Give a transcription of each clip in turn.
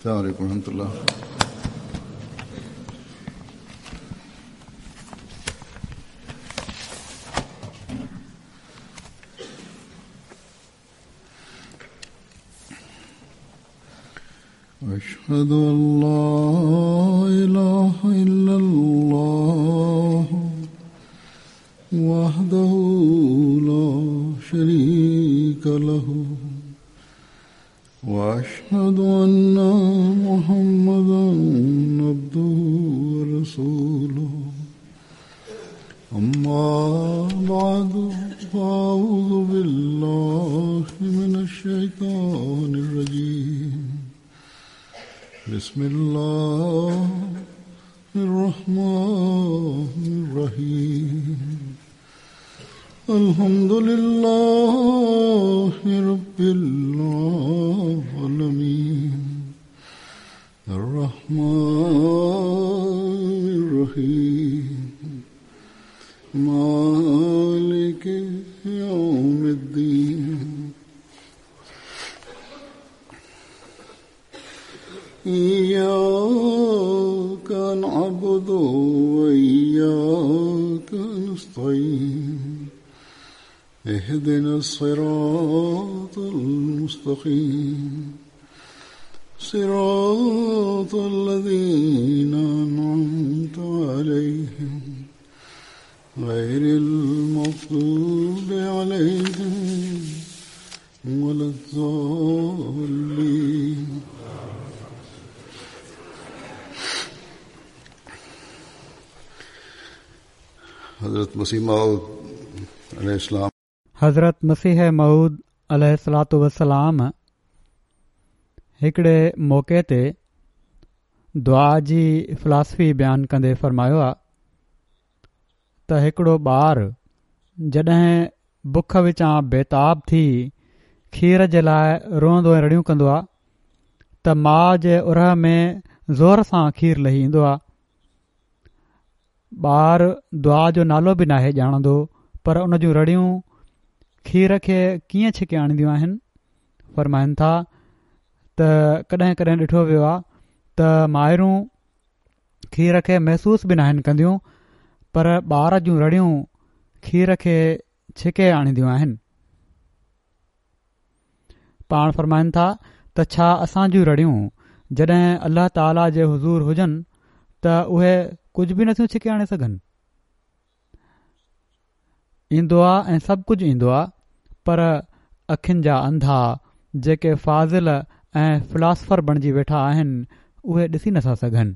السلام عليڪم ورحمة الله. اشهد ان لا اله الا الله وحده لا شريك له واشهد ان محمدا عبده ورسوله اما بعد فاعوذ بالله من الشيطان الرجيم بسم الله الرحمن الرحيم الحمد لله رب العالمين الرحمن الرحيم مالك يوم الدين إياك نعبد وإياك نستعين اهدنا الصراط المستقيم صراط الذين أنعمت عليهم غير المغضوب عليهم ولا الضالين. حضرت مسيح موعود عليه السلام. حضرت مسيح موعود عليه الصلوة والسلام هڪڙي موقعي تي دعا جي فلاسفي بيان ڪندي فرمايو آ ته هڪڙو ٻار جڏهن بک وچان بيتاب ٿي کير جي لاء روئندو ۽ رڙيون ڪندو آ ته ماء جي ارهه ۾ زور سان کير لهي ايندو آ. ٻار دعا جو نالو به ناهي ڄاڻندو پر ان جون رڙيون کير کي ڪيئن ڇڪي آڻينديون آهن؟ فرمائن ٿا ته ڪڏهن ڪڏهن ڏٺو ويو آ ته مائرون کير کي محسوس به ناهن ڪنديون پر ٻار جون رڙيون کير کي ڇڪي آڻينديون آهن. پاڻ فرمائن ٿا ته ڇا اسان جون رڙيون جڏهن الله تعاليٰ جي حضور هجن ته اهي ڪجهه به نٿيون ڇڪي آڻي سگهن؟ ايندو آ ۽ سڀ ڪجهه ايندو آ پر اکين جا انڌا جيڪي فاضل ۽ فلاسفر بڻجي ويٺا آهن اهي ڏسي نٿا سگهن.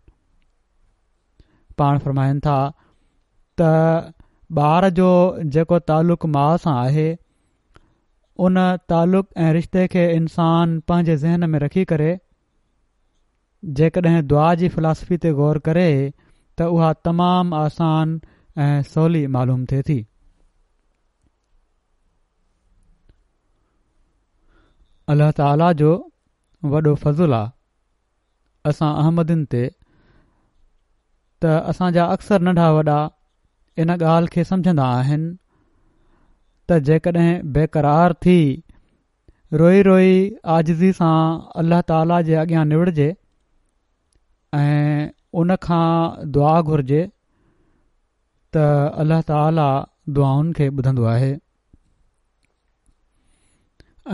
پاڻ فرمائن ٿا ته ٻار جو جيڪو تعلق ماء سان آهي ان تعلق ۽ رشتي کي انسان پنهنجي ذهن ۾ رکي ڪري جيڪڏهن دعا جي فلاسفي تي غور ڪري ته اها تمام آسان ۽ سولي معلوم ٿئي ٿي. الله تعاليٰ جو وڏو فضل آ اسان احمدين تي ته اسان جا اڪثر ننڍا وڏا ان ڳالهه کي سمجهندا آهن ته جيڪڏهن بيقرار ٿي روئي روئي عاجزي سان الله تعاليٰ جي اڳيان نوڙجي ۽ ان کان دعا گهرجي ته الله تعاليٰ دعائن کي ٻڌندو آهي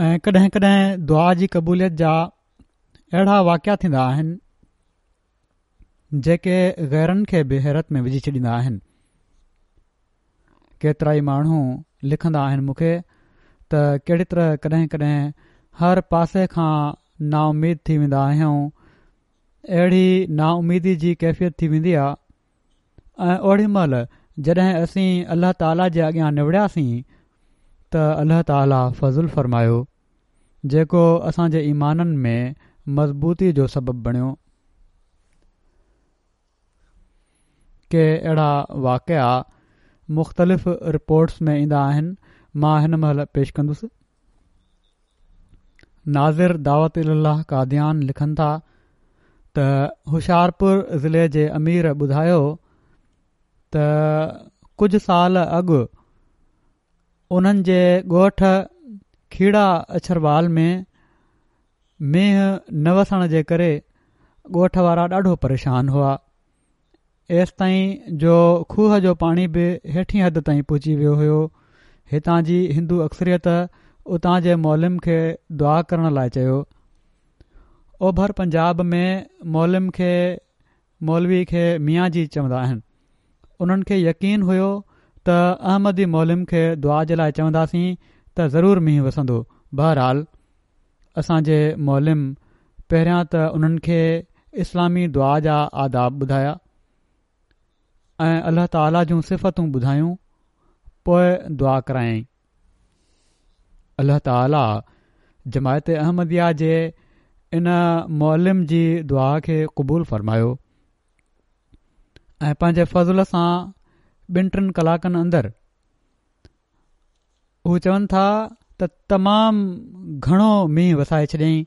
۽ ڪڏهن ڪڏهن دعا جي قبوليت جا اهڙا واقعا ٿيندا آهن جيڪي غيرن کي به حيرت ۾ وجهي ڇڏيندا آهن. ڪيترائي ماڻهو لکندا آهن مون کي ته ڪهڙي طرح ڪڏهن ڪڏهن هر پاسي کان نااميد ٿي ويندا آهيون اهڙي نااميدي جي ڪيفيت ٿي ويندي آهي ۽ اوڏي مهل جڏهن اسين الله تعاليٰ جي اڳيان نوڙياسين ته الله تعاليٰ فضل فرمايو جيڪو اسان جي ايمانن ۾ مضبوطي جو سبب بڻيو. ڪي اهڙا واقعا مختلف رپورٽس ۾ ايندا آهن، مان هن مهل پيش ڪندس. ناظر دعوت الي الله قاديان لکن ٿا ته هوشيارپور ضلعي جي امير ٻڌايو ته ڪجهه سال اڳ انهن جي ڳوٺ کيڙا اڇروال ۾ مينهن نه وسڻ جي ڪري. ڳوٺ وارا ڏاڍو پريشان هئا. ايستائين جو کوهه جو پاڻي به هيٺين حد تائين پهچي ويو هيو. هتان جي هندو اڪثريت اتان جي معلم کي دعا ڪرڻ لاء چيو. اوڀر پنجاب ۾ معلم کي مولوي کي ميان جي چوندا آهن. انهن کي يقين هيو ته احمدي معلم کي دعا جي لاء چونداسين ته ضرور مينهن وسندو. بهرحال اسان جي معلم پهريان ته انهن کي اسلامي دعا جا آداب ٻڌايا ۽ الله تعالي جون صفتون ٻڌايون پوء دعا ڪرايائين. الله تعالي جماعت احمديه جي ان معلم جي دعا کي قبول فرمايو ۽ پنهنجي فضل سان ٻن ٽن ڪلاڪن اندر هو چون ٿا ته تمام گهڻو مينهن وسائي ڇڏيائين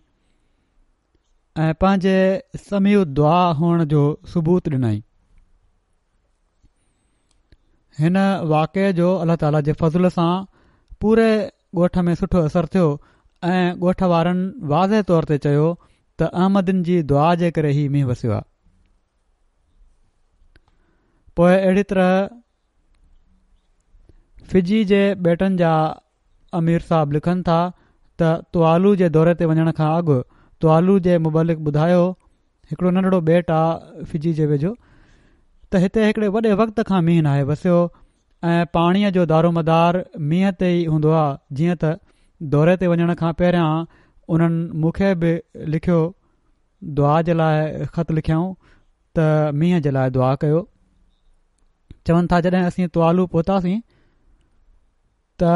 ۽ پنهنجي سميع الدعا هئڻ جو ثبوت ڏنائين. هن واقعي جو الله تعالي جي فضل سان پوري ڳوٺ ۾ سٺو اثر ٿيو ۽ ڳوٺ وارن واضح طور تي چيو ته احمدين جي دعا جي ڪري هي مينهن وسيو آهي. پوء اهڙي طرح فجي جي ٻيٽن جا امير صاحب لکن ٿا ته توالو جي دوري تي وڃڻ کان اڳ توالو جي مبلغ ٻڌايو هڪڙو ننڍڙو ٻيٽ آ فجي جي ويجهو ته هتي هڪڙي وڏي وقت کان مينهن ناهي وسيو ۽ پاڻيء جو دارومدار مينهن تي ئي هوندو آ جيئن ته دوري تي وڃڻ کان پهريان انهن مون کي به لکيو دعا جي لاء خط لکيائون ته مينهن جي لاء دعا ڪيو. چون ٿا جڏهن اسين توالو پهتاسين ته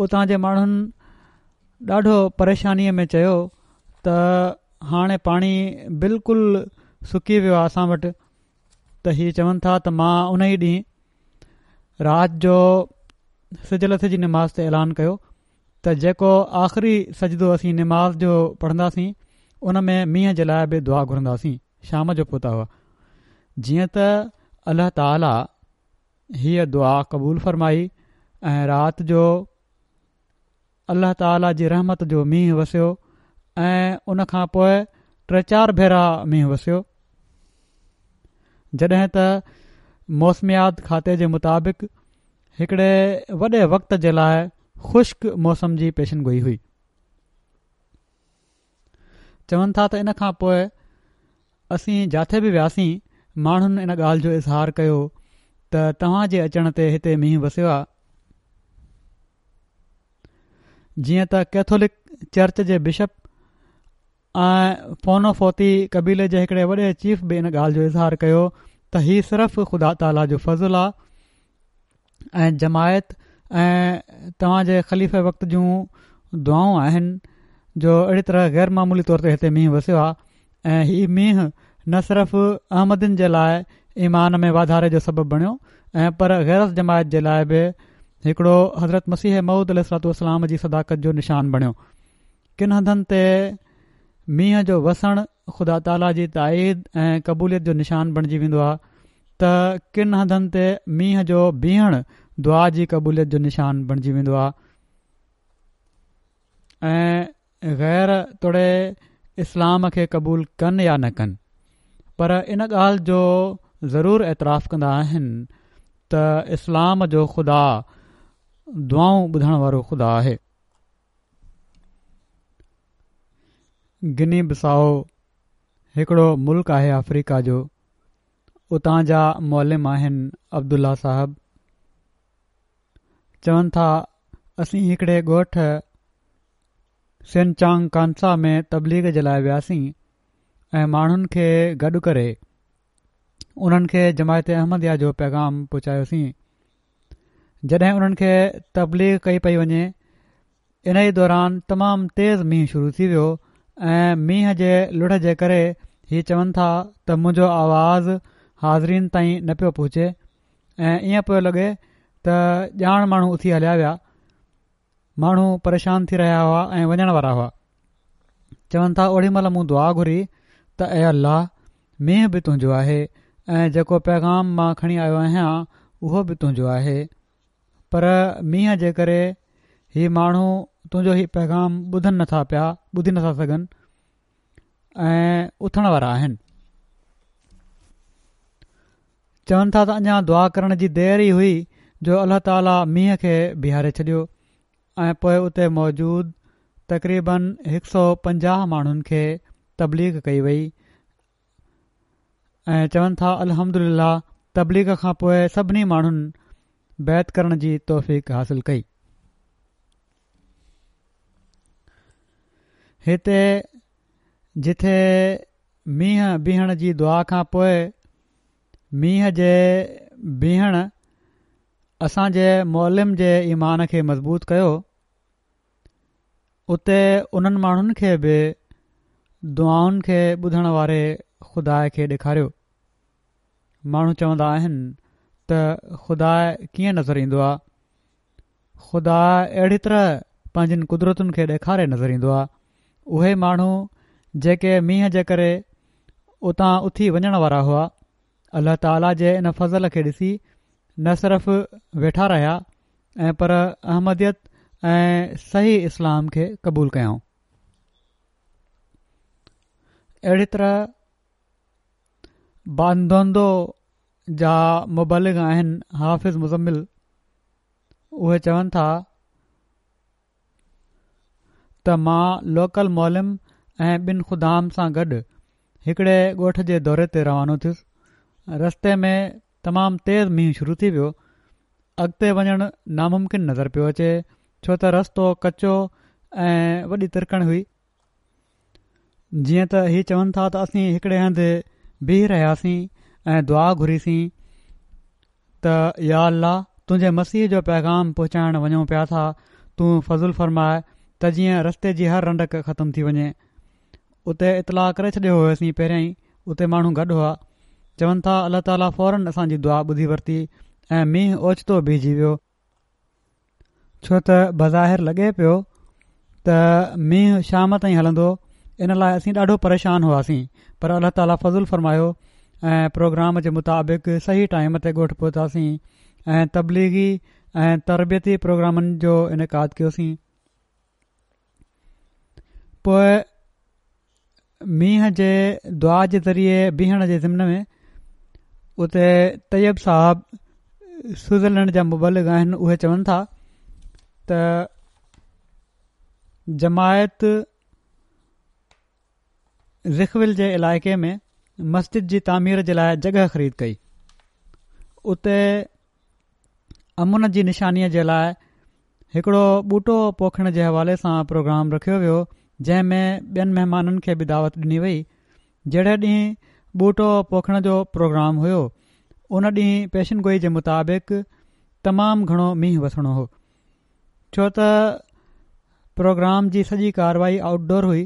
اتان جي ماڻهن ڏاڍو پريشانيء ۾ چيو ته هاڻي پاڻي بلڪل سڪي ويو آهي اسان وٽ ته هي چون ٿا ته مان ان ئي ڏينهن رات جو سج لٿي جي نماز تي اعلان ڪيو ته جيڪو آخري سجدو اسين نماز جو پڙهنداسين ان ۾ مينهن جي لاء به دعا گهرنداسين شام جو پهتا هئا جيئن ته الله تعالي هيء دعا قبول فرمائي ۽ رات جو الله تعالي جي رحمت جو مينهن وسيو ۽ ان کان پوء ٽي چار ڀيرا مينهن وسيو جڏهن ته موسميات کاتي جي مطابق هڪڙي وڏي وقت جي لاء خشڪ موسم جي پيشن گوئي هئي. چون ٿا ته ان کان پوء اسين جاٿي به وياسين ماڻهن ان ڳالهه جو اظهار ڪيو ته توهان جي اچڻ تي هتي مينهن وسيو آ. جيئن ته ڪيٿولڪ چرچ جي بشپ ۽ فونوفوتي قبيلي جي هڪڙي وڏي چيف به ان ڳالهه جو اظهار ڪيو ته هي صرف خدا تعاليٰ جو فضل آ ۽ جماعت ۽ توهان جي خليفه وقت جون دعائون آهن جو اهڙي طرح غير معمولي طور تي هتي مينهن وسيو آ ۽ هي مينهن نه صرف احمدين جي لاء ايمان ۾ واڌاري جو سبب بڻيو ۽ پر غير از جماعت جي لاء به هڪڙو حضرت مسيح موعود عليه الصلوٰة والسلام جي صداقت جو نشان بڻيو. ڪن هنڌن تي مينهن جو وسڻ خدا تعاليٰ جي تائيد ۽ قبوليت جو نشان بڻجي ويندو آهي ته ڪن هنڌن تي مينهن جو بيهڻ دعا جي قبوليت جو نشان بڻجي ويندو آهي ۽ غير توڙي اسلام کي قبول ڪن يا نه ڪن پر ان ڳالهه جو ضرور اعتراف ڪندا آهن ته اسلام جو خدا دعائون ٻڌڻ وارو خدا آهي. گني بسائو هڪڙو ملڪ آهي آفريڪا جو اتان جا معلم آهن عبدالله صاحب چون ٿا اسين هڪڙي ڳوٺ سينچانگ ڪانسا ۾ تبليغ جي لاء وياسين ۽ ماڻهن کي گڏ ڪري انهن کي جماعت احمديه جو پيغام پهچايوسين جڏهن انهن کي تبليغ ڪئي پئي وڃي انهي دوران تمام تيز مينهن شروع ٿي ويو ۽ مينهن جي لڙ جي ڪري هي چون ٿا ته منهنجو آواز حاضرين تائين نه پيو پهچي ۽ ائين پيو لڳي ته ڄاڻ ماڻهو اٿي هليا ويا ماڻهو پريشان ٿي رهيا هئا ۽ وڃڻ وارا هئا. چون ٿا اوڏي مهل مون دعا گهري ته اي الله! مينهن به تنهنجو آهي ۽ جيڪو پيغام مان کڻي آيو آهيان اهو به تنهنجو آهي پر مينهن جي ڪري هي ماڻهو تنهنجو هي پيغام ٻڌن نٿا پيا ٻڌي نٿا سگهن. ۽ اٿڻ وارا آهن. چون ٿا ته اڃا دعا ڪرڻ جي دير ئي هئي جو الله تعاليٰ مينهن کي بيهاري ڇڏيو ۽ پوء اتي موجود تقريبن هڪ سو 50 ماڻهن کي تبليغ ڪئي وئي ۽ چون ٿا الحمدلله تبليغ کان پوء سڀني ماڻهن بيعت ڪرڻ جي توفيق حاصل ڪئي. هتي جٿي مينهن بيهڻ جي دعا کان پوء مينهن جي بيهڻ اسان جي معلم جي ايمان کي مضبوط ڪيو، اتي انهن ماڻهن کي به دعائن کي ٻڌڻ واري خدا کي ڏيکاريو. ماڻهو چوندا آهن ته خدا ڪيئن نظر ايندو آ؟ خدا اهڙي طرح پنهنجين قدرتن کي ڏيکاري نظر ايندو آهي. اهي ماڻهو جيڪي مينهن جي ڪري اتان اٿي وڃڻ وارا هئا، الله تعاليٰ جي ان فضل کي ڏسي نه صرف ويٺا رهيا ۽ پر احمديت ۽ صحيح اسلام کي قبول ڪيائون. اهڙي طرح باندوندو جا مبلغ آهن حافظ مزمل اهي چون ٿا ته مان لوڪل معلم ۽ ٻن خدام سان گڏ هڪڙي ڳوٺ جي دوري تي روانو ٿيس. رستي ۾ تمام تيز مينهن شروع ٿي ويو. اڳتي وڃڻ ناممڪن نظر پيو اچي ڇو ته رستو ڪچو ۽ وڏي ترڪڻ هئي. جيئن ته هي چون ٿا ته اسين هڪڙي هنڌ بيهي رهياسين ۽ دعا گهريسين ته يا الله تنهنجي مسيح جو پيغام پهچائڻ وڃون پيا ٿا تون فضل فرماء ته جيئن رستي جي هر رنڊڪ ختم ٿي وڃي اتي اطلاع ڪري ڇڏيو هيوسين پهريان ئي اتي ماڻهو گڏ هئا چون ٿا الله تعاليٰ فورن اسان جي دعا ٻڌي ورتي ۽ مينهن اوچتو بيهجي ويو ڇو ته بظاهر لڳي پيو ته مينهن شام تائين هلندو ان لاء اسين ڏاڍو پريشان هئاسين پر الله تعاليٰ فضل فرمايو ۽ پروگرام جي مطابق صحيح ٽائيم تي ڳوٺ پهتاسين ۽ تبليغي ۽ تربيتي پروگرامن جو انعقاد ڪيوسين پوء مينهن جي دعا جي ذريعي بيهڻ جي ضمن ۾ اتي طيب صاحب سوئٽزرلينڊ جا مبلغ آهن اهي چون ٿا ته جماعت زخول جي علائقي ۾ مسجد جي تعمير جي لاء جڳهه خريد ڪئي اتي امن جي نشانيء جي لاء هڪڙو ٻوٽو پوکڻ جي حوالي سان پروگرام رکيو ويو جنهن ۾ ٻين مهمانن کي به دعوت ڏني وئي جهڙي ڏينهن ٻوٽو پوکڻ جو پروگرام هيو ان ڏينهن پيشن گوئي جي مطابق تمام گهڻو مينهن وسڻو هو ڇو ته پروگرام جي سڄي ڪارروائي آئوٽ ڊور هئي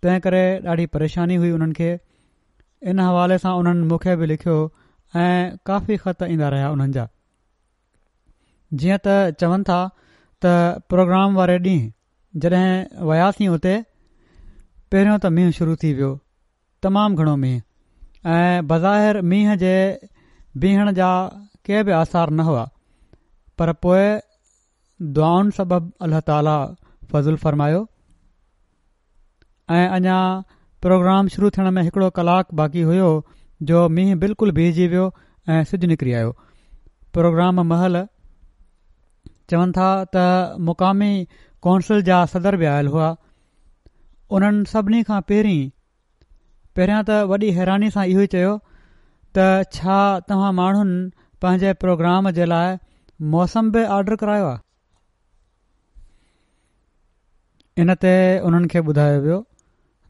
تنهن ڪري ڏاڍي پريشاني هئي انهن کي ان حوالي سان انهن مون کي به لکيو ۽ ڪافي خط ايندا رهيا انهن جا جيئن ته چون ٿا ته پروگرام واري ڏينهن جڏهن وياسين اتي پهريون ته مينهن شروع ٿي ويو تمام گهڻو مينهن ۽ بظاهر مينهن جي بيهڻ جا ڪي به آثار نه هئا پر پوء دعائن سبب الله تعالي فضل فرمايو ۽ اڃا پروگرام شروع ٿيڻ ۾ هڪڙو ڪلاڪ باقي هيو جو مينهن بلڪل بيهجي ويو ۽ سج نڪري آيو. پروگرام مهل چون ٿا ته مقامي ڪونسل جا صدر به آيل هئا. انهن سڀني کان پهرين پهريان ته وڏي حيراني سان اهو ئي چيو ته ڇا توهان ماڻهن پنهنجي پروگرام جي لاء موسم به آرڊر ڪرايو آهي؟ ان تي انهن کي ٻڌايو ويو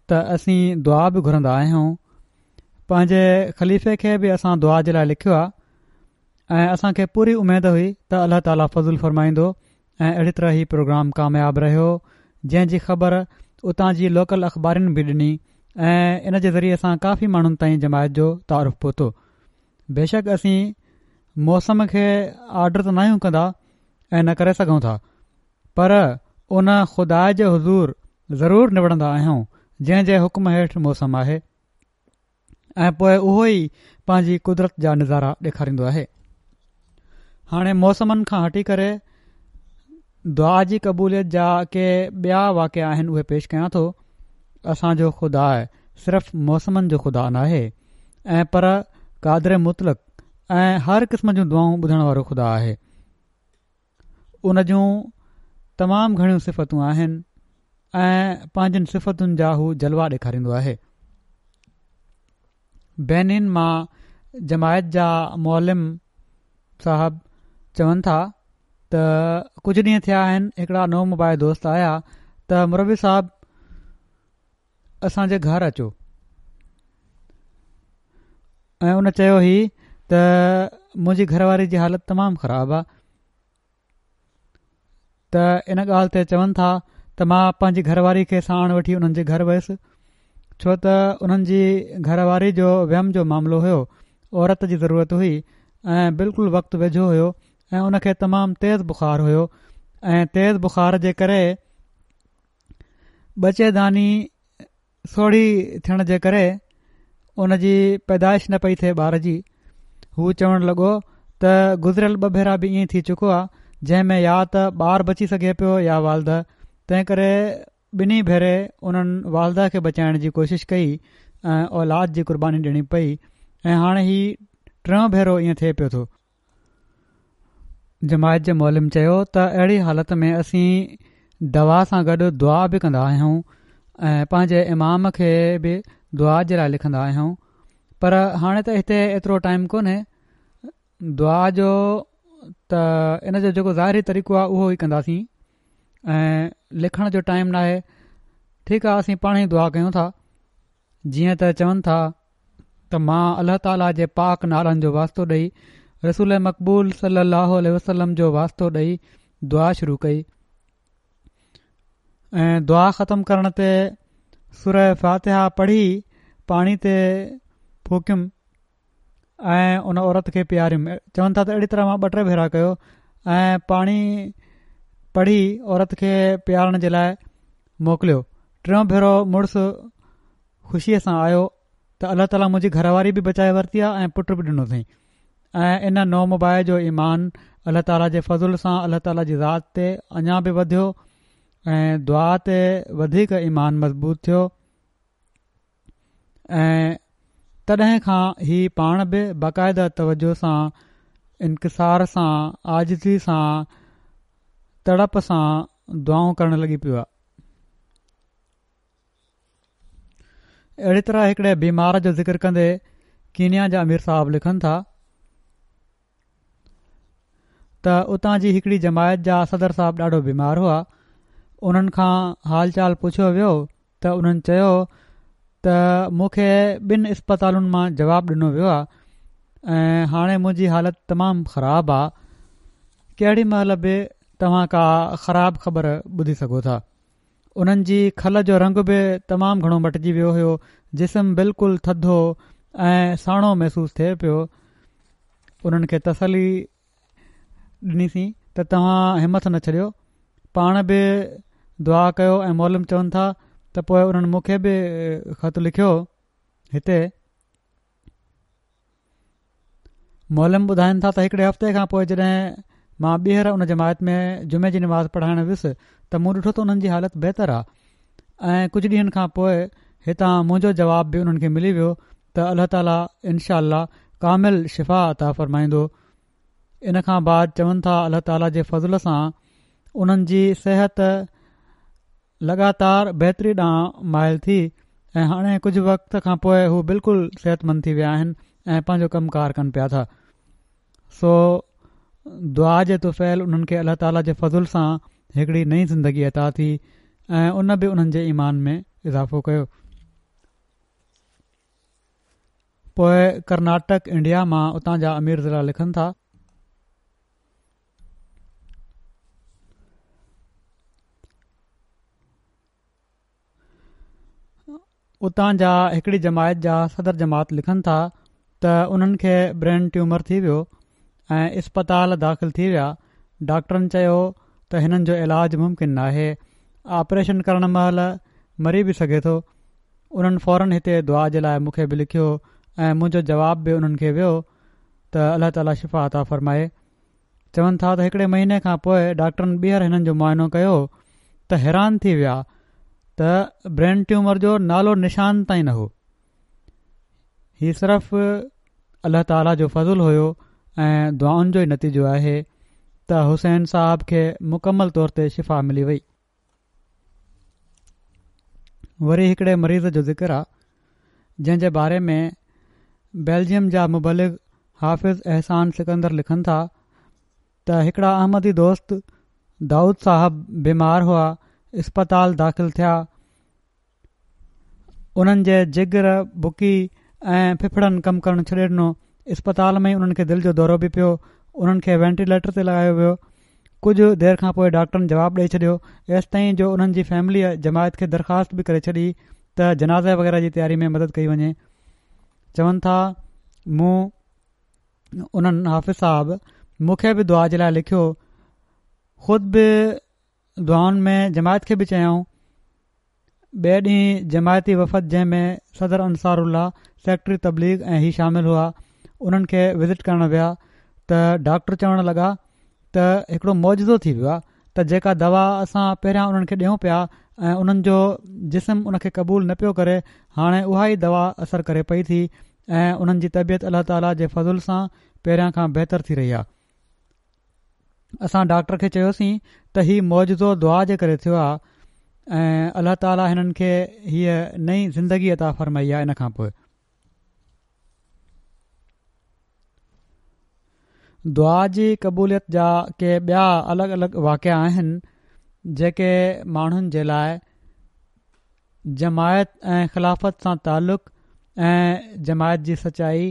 ته اسين دعا به گهرندا آهيون پنهنجي خليفي کي به اسان دعا جي لاء لکيو آهي ۽ اسان کي پوري اميد هئي ته الله تعاليٰ فضل فرمائيندو ۽ اهڙي طرح هي پروگرام ڪامياب رهيو جنهن جي خبر اتان جي لوڪل اخبارين به ڏني ۽ ان جي ذريعي سان ڪافي ماڻهن تائين جماعت جو تعارف پهتو بيشڪ اسين موسم کي آرڊر ته ناهيون ڪندا ۽ نه ڪري سگهون ٿا پر ان خدا جي حضور ضرور نوڙندا آهيون جنهن جي حڪم هيٺ موسم آهي ۽ پوء اهو ئي پنهنجي قدرت جا نظارا ڏيکاريندو آهي هاڻي موسمن کان هٽي ڪري دعا جي قبوليت جا ڪي ٻيا واقعا آهن اهي پيش ڪيان ٿو اسان جو خدا صرف موسمن جو خدا ناهي ۽ پر قادر مطلق ۽ هر قسم جون دعائون ٻڌڻ وارو خدا آهي. ان جون تمام گهڻيون صفتون آهن ۽ پنهنجين صفتن جا هو جلوا ڏيکاريندو آهي. بينين مان جماعت جا معلم صاحب چون ٿا ته ڪجهه ڏينهن ٿيا آهن هڪڙا نومبائع دوست آيا ته مربي صاحب اسان جي گهر اچو ۽ ان چيو هي ته منهنجي گهر واري جي حالت تمام خراب آ ته ان ڳالهه تي چون ٿا ته مان پنهنجي گهر واري کي ساڻ وٺي انهن جي گهر ويس ڇو ته انهن جي گهر واري جو ويم جو معاملو هيو عورت جي ضرورت هئي ۽ بلڪل وقت ويجهو هيو ۽ ان کي تمام تيز بخار هيو ۽ تيز بخار جي ڪري ٻچيداني سوڙهي ٿيڻ جي ڪري ان جي پيدائش نه پئي ٿئي ٻار جي. هو چوڻ لڳو ته گذريل ٻه ڀيرا به ائين ٿي چڪو آ جنهن ۾ يا ته ٻار بچي سگهي پيو يا والده تنهن ڪري ٻنهي ڀيري انهن والده کي بچائڻ جي ڪوشش ڪئي ۽ اولاد جي قرباني ڏيڻي پئي ۽ هاڻي هي ٽيون ڀيرو ائين ٿئي پيو ٿو. جماعت جي معلم چيو ته اهڙي حالت ۾ اسين دوا سان گڏ دعا به ڪندا آهيون ۽ پنهنجي امام کي به دعا جي لاء لکندا آهيون پر هاڻي ته هتي ايترو ٽائيم ڪونهي دعا جو ته ان جو جيڪو ظاهري طريقو آهي اهو ئي ڪنداسين ۽ لکڻ جو ٽائيم ناهي ٺيڪ آهي اسين پاڻ ئي دعا ڪيون ٿا جيئن ته چون ٿا ته مان الله تعاليٰ جي پاڪ نالن جو واسطو ڏئي رسول مقبول صلي الله عليه وسلم جو واسطو ڏئي دعا شروع ڪئي ۽ دعا ختم ڪرڻ تي سوره فاتحه پڙهي پاڻي تي ڦوڪيم ۽ ان عورت کي پياريم چون ٿا ته اهڙي طرح مان ٻه ٽي ڀيرا ڪيو ۽ پاڻي پڙهي عورت کي پيارڻ جي لاء موڪليو ٽيون ڀيرو مڙس خوشيء سان آيو ته الله تعاليٰ منهنجي گهر واري به بچائي ورتي آهي ۽ پٽ به ڏنو اٿئي ۽ ان نومبائع جو ايمان الله تعاليٰ جي فضل سان الله تعاليٰ جي ذات تي اڃا به وڌيو ۽ دعا تي وڌيڪ ايمان مضبوط ٿيو ۽ تڏهن کان هي پاڻ به باقاعده توجه سان انڪسار سان عاجزي سان تڙپ سان دعائون ڪرڻ لڳي پيو آهي. اهڙي طرح هڪڙي بيمار جو ذڪر ڪندي ڪينيا جا امير صاحب لکن ٿا ته اتان جي هڪڙي جماعت جا صدر صاحب ڏاڍو بيمار هئا انهن کان حال چال پڇيو ويو ته انهن چيو ته مون کي ٻن اسپتالن مان جواب ڏنو ويو آهي ۽ هاڻي منهنجي حالت تمام خراب آهي ڪهڙي مهل به توهان ڪا خراب خبر ٻڌي سگهو ٿا انهن جي کل جو رنگ به تمام گهڻو مٽجي ويو هيو جسم بلڪل ٿڌو ۽ ساڻو محسوس ٿئي پيو انهن کي تسلي ڏنيسين ته توهان همٿ نه ڇڏيو پاڻ به دعا ڪيو ۽ معلم چون ٿا ته پوء انهن مون کي به خط لکيو هتي معلم ٻڌائن ٿا ته هڪڙي هفتي کان پوء جڏهن مان ٻيهر ان جماعت ۾ جمعي جي نماز پڙهائڻ ويس ته مون ڏٺو ته انهن جي حالت بهتر آهي ۽ ڪجهه ڏينهن کان پوء هتان منهنجو جواب به انهن کي ملي ويو ته الله تعالي انشاء الله ڪامل شفا عطا فرمائيندو ان کان بعد چون ٿا الله تعالي جي فضل سان انهن جي صحت لڳاتار بهتري ڏانهن مائل ٿي ۽ هاڻي ڪجهه وقت کان پوء هو بلڪل صحت مند ٿي ويا آهن ۽ پنهنجو ڪم ڪار ڪن پيا ٿا سو دعا جي طفيل انهن کي الله تعالي جي فضل سان هڪڙي نئين زندگي عطا ٿي ۽ ان به انهن جي ايمان ۾ اضافو ڪيو پوء ڪرناٽڪ انڊيا مان اتان جا امير ضلع لکن ٿا. اتان جا هڪڙي جماعت جا صدر جماعت لکن ٿا ته انهن کي برين ٽيومر ٿي ويو ۽ اسپتال داخل ٿي ويا ڊاڪٽرن چيو ته هنن جو علاج ممڪن ناهي آپريشن ڪرڻ مهل مري به سگهي ٿو انهن فورن هتي دعا جي لاء مون کي به لکيو ۽ منهنجو جواب به انهن کي ويو ته الله تعالي شفا عطا فرمائي چون ٿا ته هڪڙي مهيني کان پوء ڊاڪٽرن ٻيهر هنن جو معائنو ڪيو ته حيران ٿي ويا ته برين ٽيومر جو نالو نشان تائين نه هو. هي صرف الله تعاليٰ جو فضل هيو ۽ دعائن جو ئي نتيجو آهي ته حسين صاحب کي مڪمل طور تي شفا ملي وئي. وري هڪڙي مريض جو ذڪر آ جنهن جي باري ۾ بيلجيم جا مبلغ حافظ احسان سڪندر لکن ٿا ته هڪڙا احمدي دوست دائود صاحب بيمار هئا اسپتال داخل ٿيا انهن جي جگر، بڪي ۽ ڦڦڙن ڪم ڪرڻ ڇڏي ڏنو. اسپتال ۾ ئي انهن کي دل جو دورو به پيو. انهن کي وينٽيليٽر تي لڳايو ويو. ڪجهه دير کان پوء ڊاڪٽرن جواب ڏئي ڇڏيو. ايستائين جو انهن جي فيمليء جماعت کي درخواست به ڪري ڇڏي ته جنازي وغيره جي تياري ۾ مدد ڪئي وڃي. چون ٿا مون انهن حافظ صاحب مون کي به دعا جي لاء لکيو. خود به دعائن ۾ جماعت کي به چيائون. ٻئي ڏينهن جماعتي وفد جنهن ۾ صدر انصار الله، سيڪريٽري تبليغ ۽ هي شامل هئا انهن کي وزٽ ڪرڻ ويا ته ڊاڪٽر چوڻ لڳا ته هڪڙو معجزو ٿي ويو آهي ته جيڪا دوا اسان پهريان انهن کي ڏيون پيا ۽ انهن جو جسم ان کي قبول نه پيو ڪري هاڻي اها ئي دوا اثر ڪري پئي ٿي ۽ انهن جي طبيعت الله تعاليٰ جي فضل سان پهريان کان بهتر ٿي رهي آهي. اسان ڊاڪٽر کي چيوسين ته هي معجزو دعا جي ڪري ٿيو آهي ۽ الله تعالي هنن کي هيء نئين زندگي عطا فرمائي آهي ان کان پوء دعا جي قبوليت جا ڪي ٻيا الڳ الڳ واقعا آهن جيڪي ماڻهن جي لاء جماعت ۽ خلافت سان تعلق ۽ جماعت جي سچائي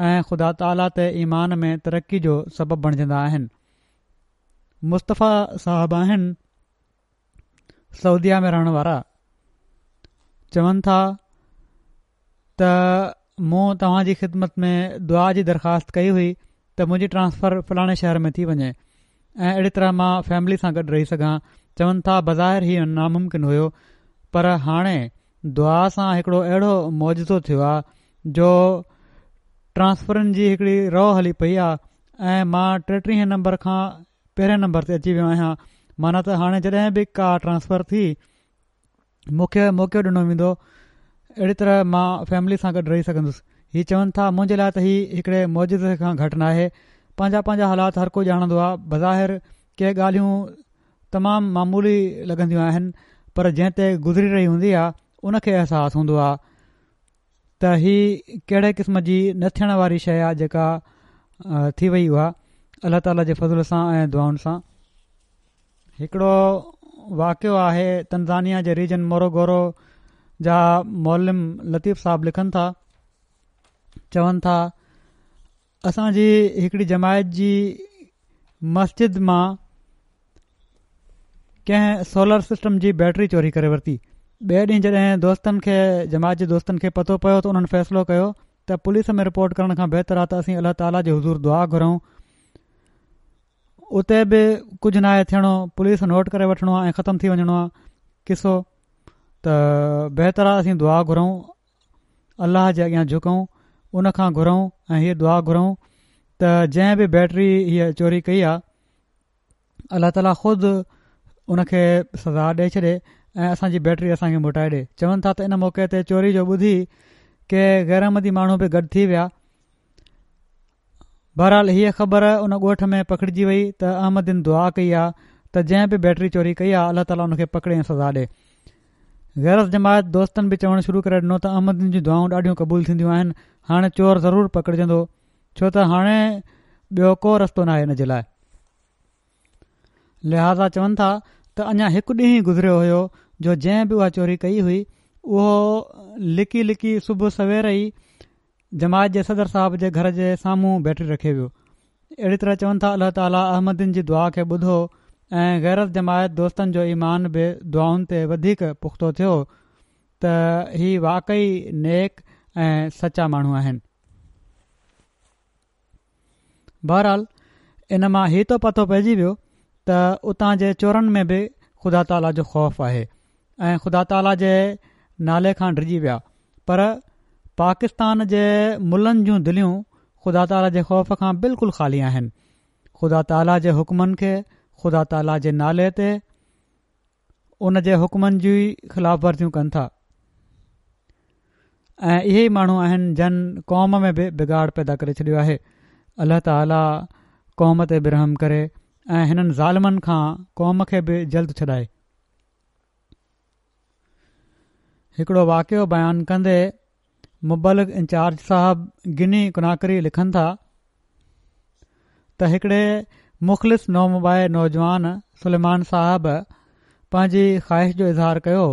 ۽ خدا تعاليٰ تي ايمان ۾ ترقي جو سبب بڻجندا آهن. مصطفيٰ صاحب آهن سعوديه ۾ رهڻ وارا چون ٿا ته مون توهان جي خدمت ۾ دعا جي درخواست ڪئي هئي ته منهنجي ٽرانسفر فلاڻي شهر ۾ ٿي وڃي ۽ اهڙي طرح مان فيملي سان گڏ رهي سگهان چون ٿا بظاهر هي ناممڪن هيو پر هاڻي دعا سان هڪڙو اهڙو معجزو ٿيو آهي جو ٽرانسفرن جي هڪڙي رو هلي پئي آهي ۽ مان ٽيٽيهين نمبر کان پهرين نمبر تي اچي ويو آهيان معنيٰ ته هاڻي جڏهن به ڪا ٽرانسفر ٿي مون کي موقعو ڏنو ويندو اهڙي طرح مان فيملي سان گڏ رهي سگهندس هي چون ٿا منهنجي لاء ته هي هڪڙي معجزي کان گهٽ ناهي پنهنجا پنهنجا حالات هر ڪو ڄاڻندو آهي بظاهر ڪي ڳالهيون تمام معمولي لڳنديون آهن پر جنهن تي گذري رهي هوندي آهي ان کي احساس هوندو آهي ته هي ڪهڙي قسم جي نه ٿيڻ واري شيء آهي جيڪا ٿي وئي اها الله تعاليٰ جي فضل سان ۽ دعائن سان هڪڙو واقعو آهي تنزانيا جي ريجن موروگورو جا معلم لطيف صاحب لکن ٿا چون ٿا اسان جي هڪڙي جماعت جي مسجد مان ڪنهن سولر سسٽم جي بيٽري چوري ڪري ورتي ٻئي ڏينهن جڏهن دوستن کي جماعت جي دوستن کي پتو پيو ته انهن فيصلو ڪيو ته پوليس ۾ رپورٽ ڪرڻ کان بهتر آهي ته اسين الله تعاليٰ جي حضور دعا گهرون اتي به ڪجهه ناهي ٿيڻو پوليس نوٽ ڪري وٺڻو آهي ۽ ختم ٿي وڃڻو آهي قصو ته بهتر آهي اسين دعا گهرون الله جي اڳيان جهڪون ان کان گهرون ۽ هيء دعا گهرون ته جنهن به بيٽري هيء چوري ڪئي آهي الله تعاليٰ خود ان کي سزا ڏئي ڇڏي ۽ اسان جي بيٽري اسان کي موٽائي ڏي چون ٿا ته ان موقعي تي چوري جو ٻڌي ڪي غير احمدي ماڻهو به گڏ ٿي ويا بهرحال هيء خبر ان ڳوٺ ۾ پکڙجي وئي ته احمدين دعا ڪئي آ ته جنهن به بيٽري چوري ڪئي آ الله تعاليٰ ان کي پڪڙي ۽ سزا ڏي. غير از جماعت دوستن به چوڻ شروع ڪري ڏنو ته احمدين جون دعائون ڏاڍيون قبول ٿينديون آهن هاڻي چور ضرور پڪڙجندو ڇو ته هاڻي ٻيو ڪو رستو ناهي ان جي لاء. لهٰذا چون ٿا ته اڃا هڪ ڏينهن ئي گذريو هيو جو جنهن به اها چوري ڪئي هئي اهو لڪي لڪي صبح سوير ئي جماعت جي صدر صاحب جي گهر جي سامهون بيٽري رکي ويو. اهڙي طرح چون ٿا الله تعالي احمدين جي دعا کي ٻڌو ۽ غير از جماعت دوستن جو ايمان به دعائن تي وڌيڪ پختو ٿيو ته هي واقعي نيڪ ۽ سچا ماڻهو آهن. بهرحال ان مان هي ته پتو پئجي ويو ته اتان جي چورن ۾ به خدا تعاليٰ جو خوف آهي ۽ خدا تعاليٰ جي نالي کان ڊڄي ويا پر پاڪستان جي ملن جون دليون خدا تعاليٰ جي خوف کان بلڪل خالي آهن خدا تعاليٰ جي حڪمن کي خدا تعاليٰ جي نالي تي ان جي حڪمن جي خلاف ورزيون ڪن ٿا. ۽ اهي ئي ماڻهو آهن جن قوم ۾ به بگاڙ پيدا ڪري ڇڏيو آهي. الله تعالي قوم تي به رحم ڪري ۽ هنن ظالمن کان قوم کي به جلد ڇڏائي. هڪڙو واقعو بيان ڪندي مبلغ انچارج صاحب گني ڪناڪري لکن ٿا ته هڪڙي مخلص نومبائع نوجوان سليمان صاحب پنهنجي خواهش جو اظهار ڪيو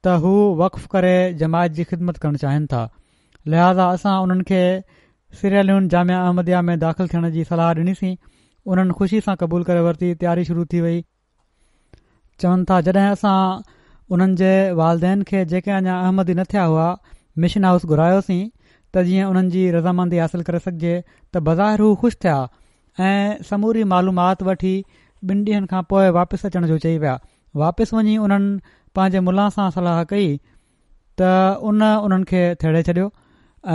ته هو وقف ڪري جماعت جي خدمت ڪرڻ چاهين ٿا لهٰذا اسان انهن کي سيراليون جامعه احمديه ۾ داخل ٿيڻ جي صلاح ڏنيسين انهن خوشي سان قبول ڪري ورتي تياري شروع ٿي وئي. چون ٿا جڏهن اسان انهن جي والدين کي جيڪي اڃا احمدي نه ٿيا هئا مشن هائوس گهرايوسين ته جيئن انهن جي رضامندي حاصل ڪري سگهجي ته بظاهر هو خوش ٿيا ۽ سموري معلومات وٺي ٻن ڏينهن کان پوء واپس اچڻ جو چئي ويا واپس وڃي انهن پنهنجي ملان سان صلاح ڪئي ته ان انهن کي ٿيڙي ڇڏيو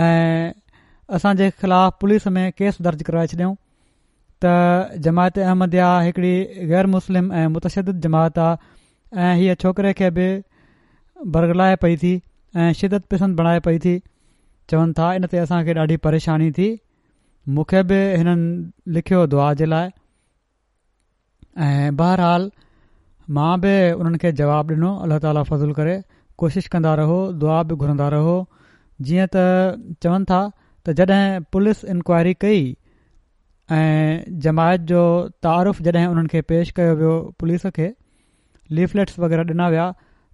۽ اسان جي خلاف پوليس ۾ ڪيس درج ڪرائي ڇڏيائون ته جماعت احمديه هڪڙي غير مسلم ۽ متشدد جماعت آ ۽ هيء ڇوڪري کي به برغلائي پئي ٿي ۽ شدت پسند بڻائي پئي ٿي. چون ٿا ان تي اسان کي ڏاڍي پريشاني ٿي. مون کي به هنن لکيو دعا جي لاء. ۽ بهرحال مان به انهن کي جواب ڏنو الله تعالي فضل ڪري ڪوشش ڪندا رهو دعا به گهرندا رهو جيئن ته چون ٿا ته جڏهن پوليس انڪوائري ڪئي ۽ جماعت جو تعارف جڏهن انهن کي پيش ڪيو ويو پوليس کي ليفليٽس وغيره ڏنا ويا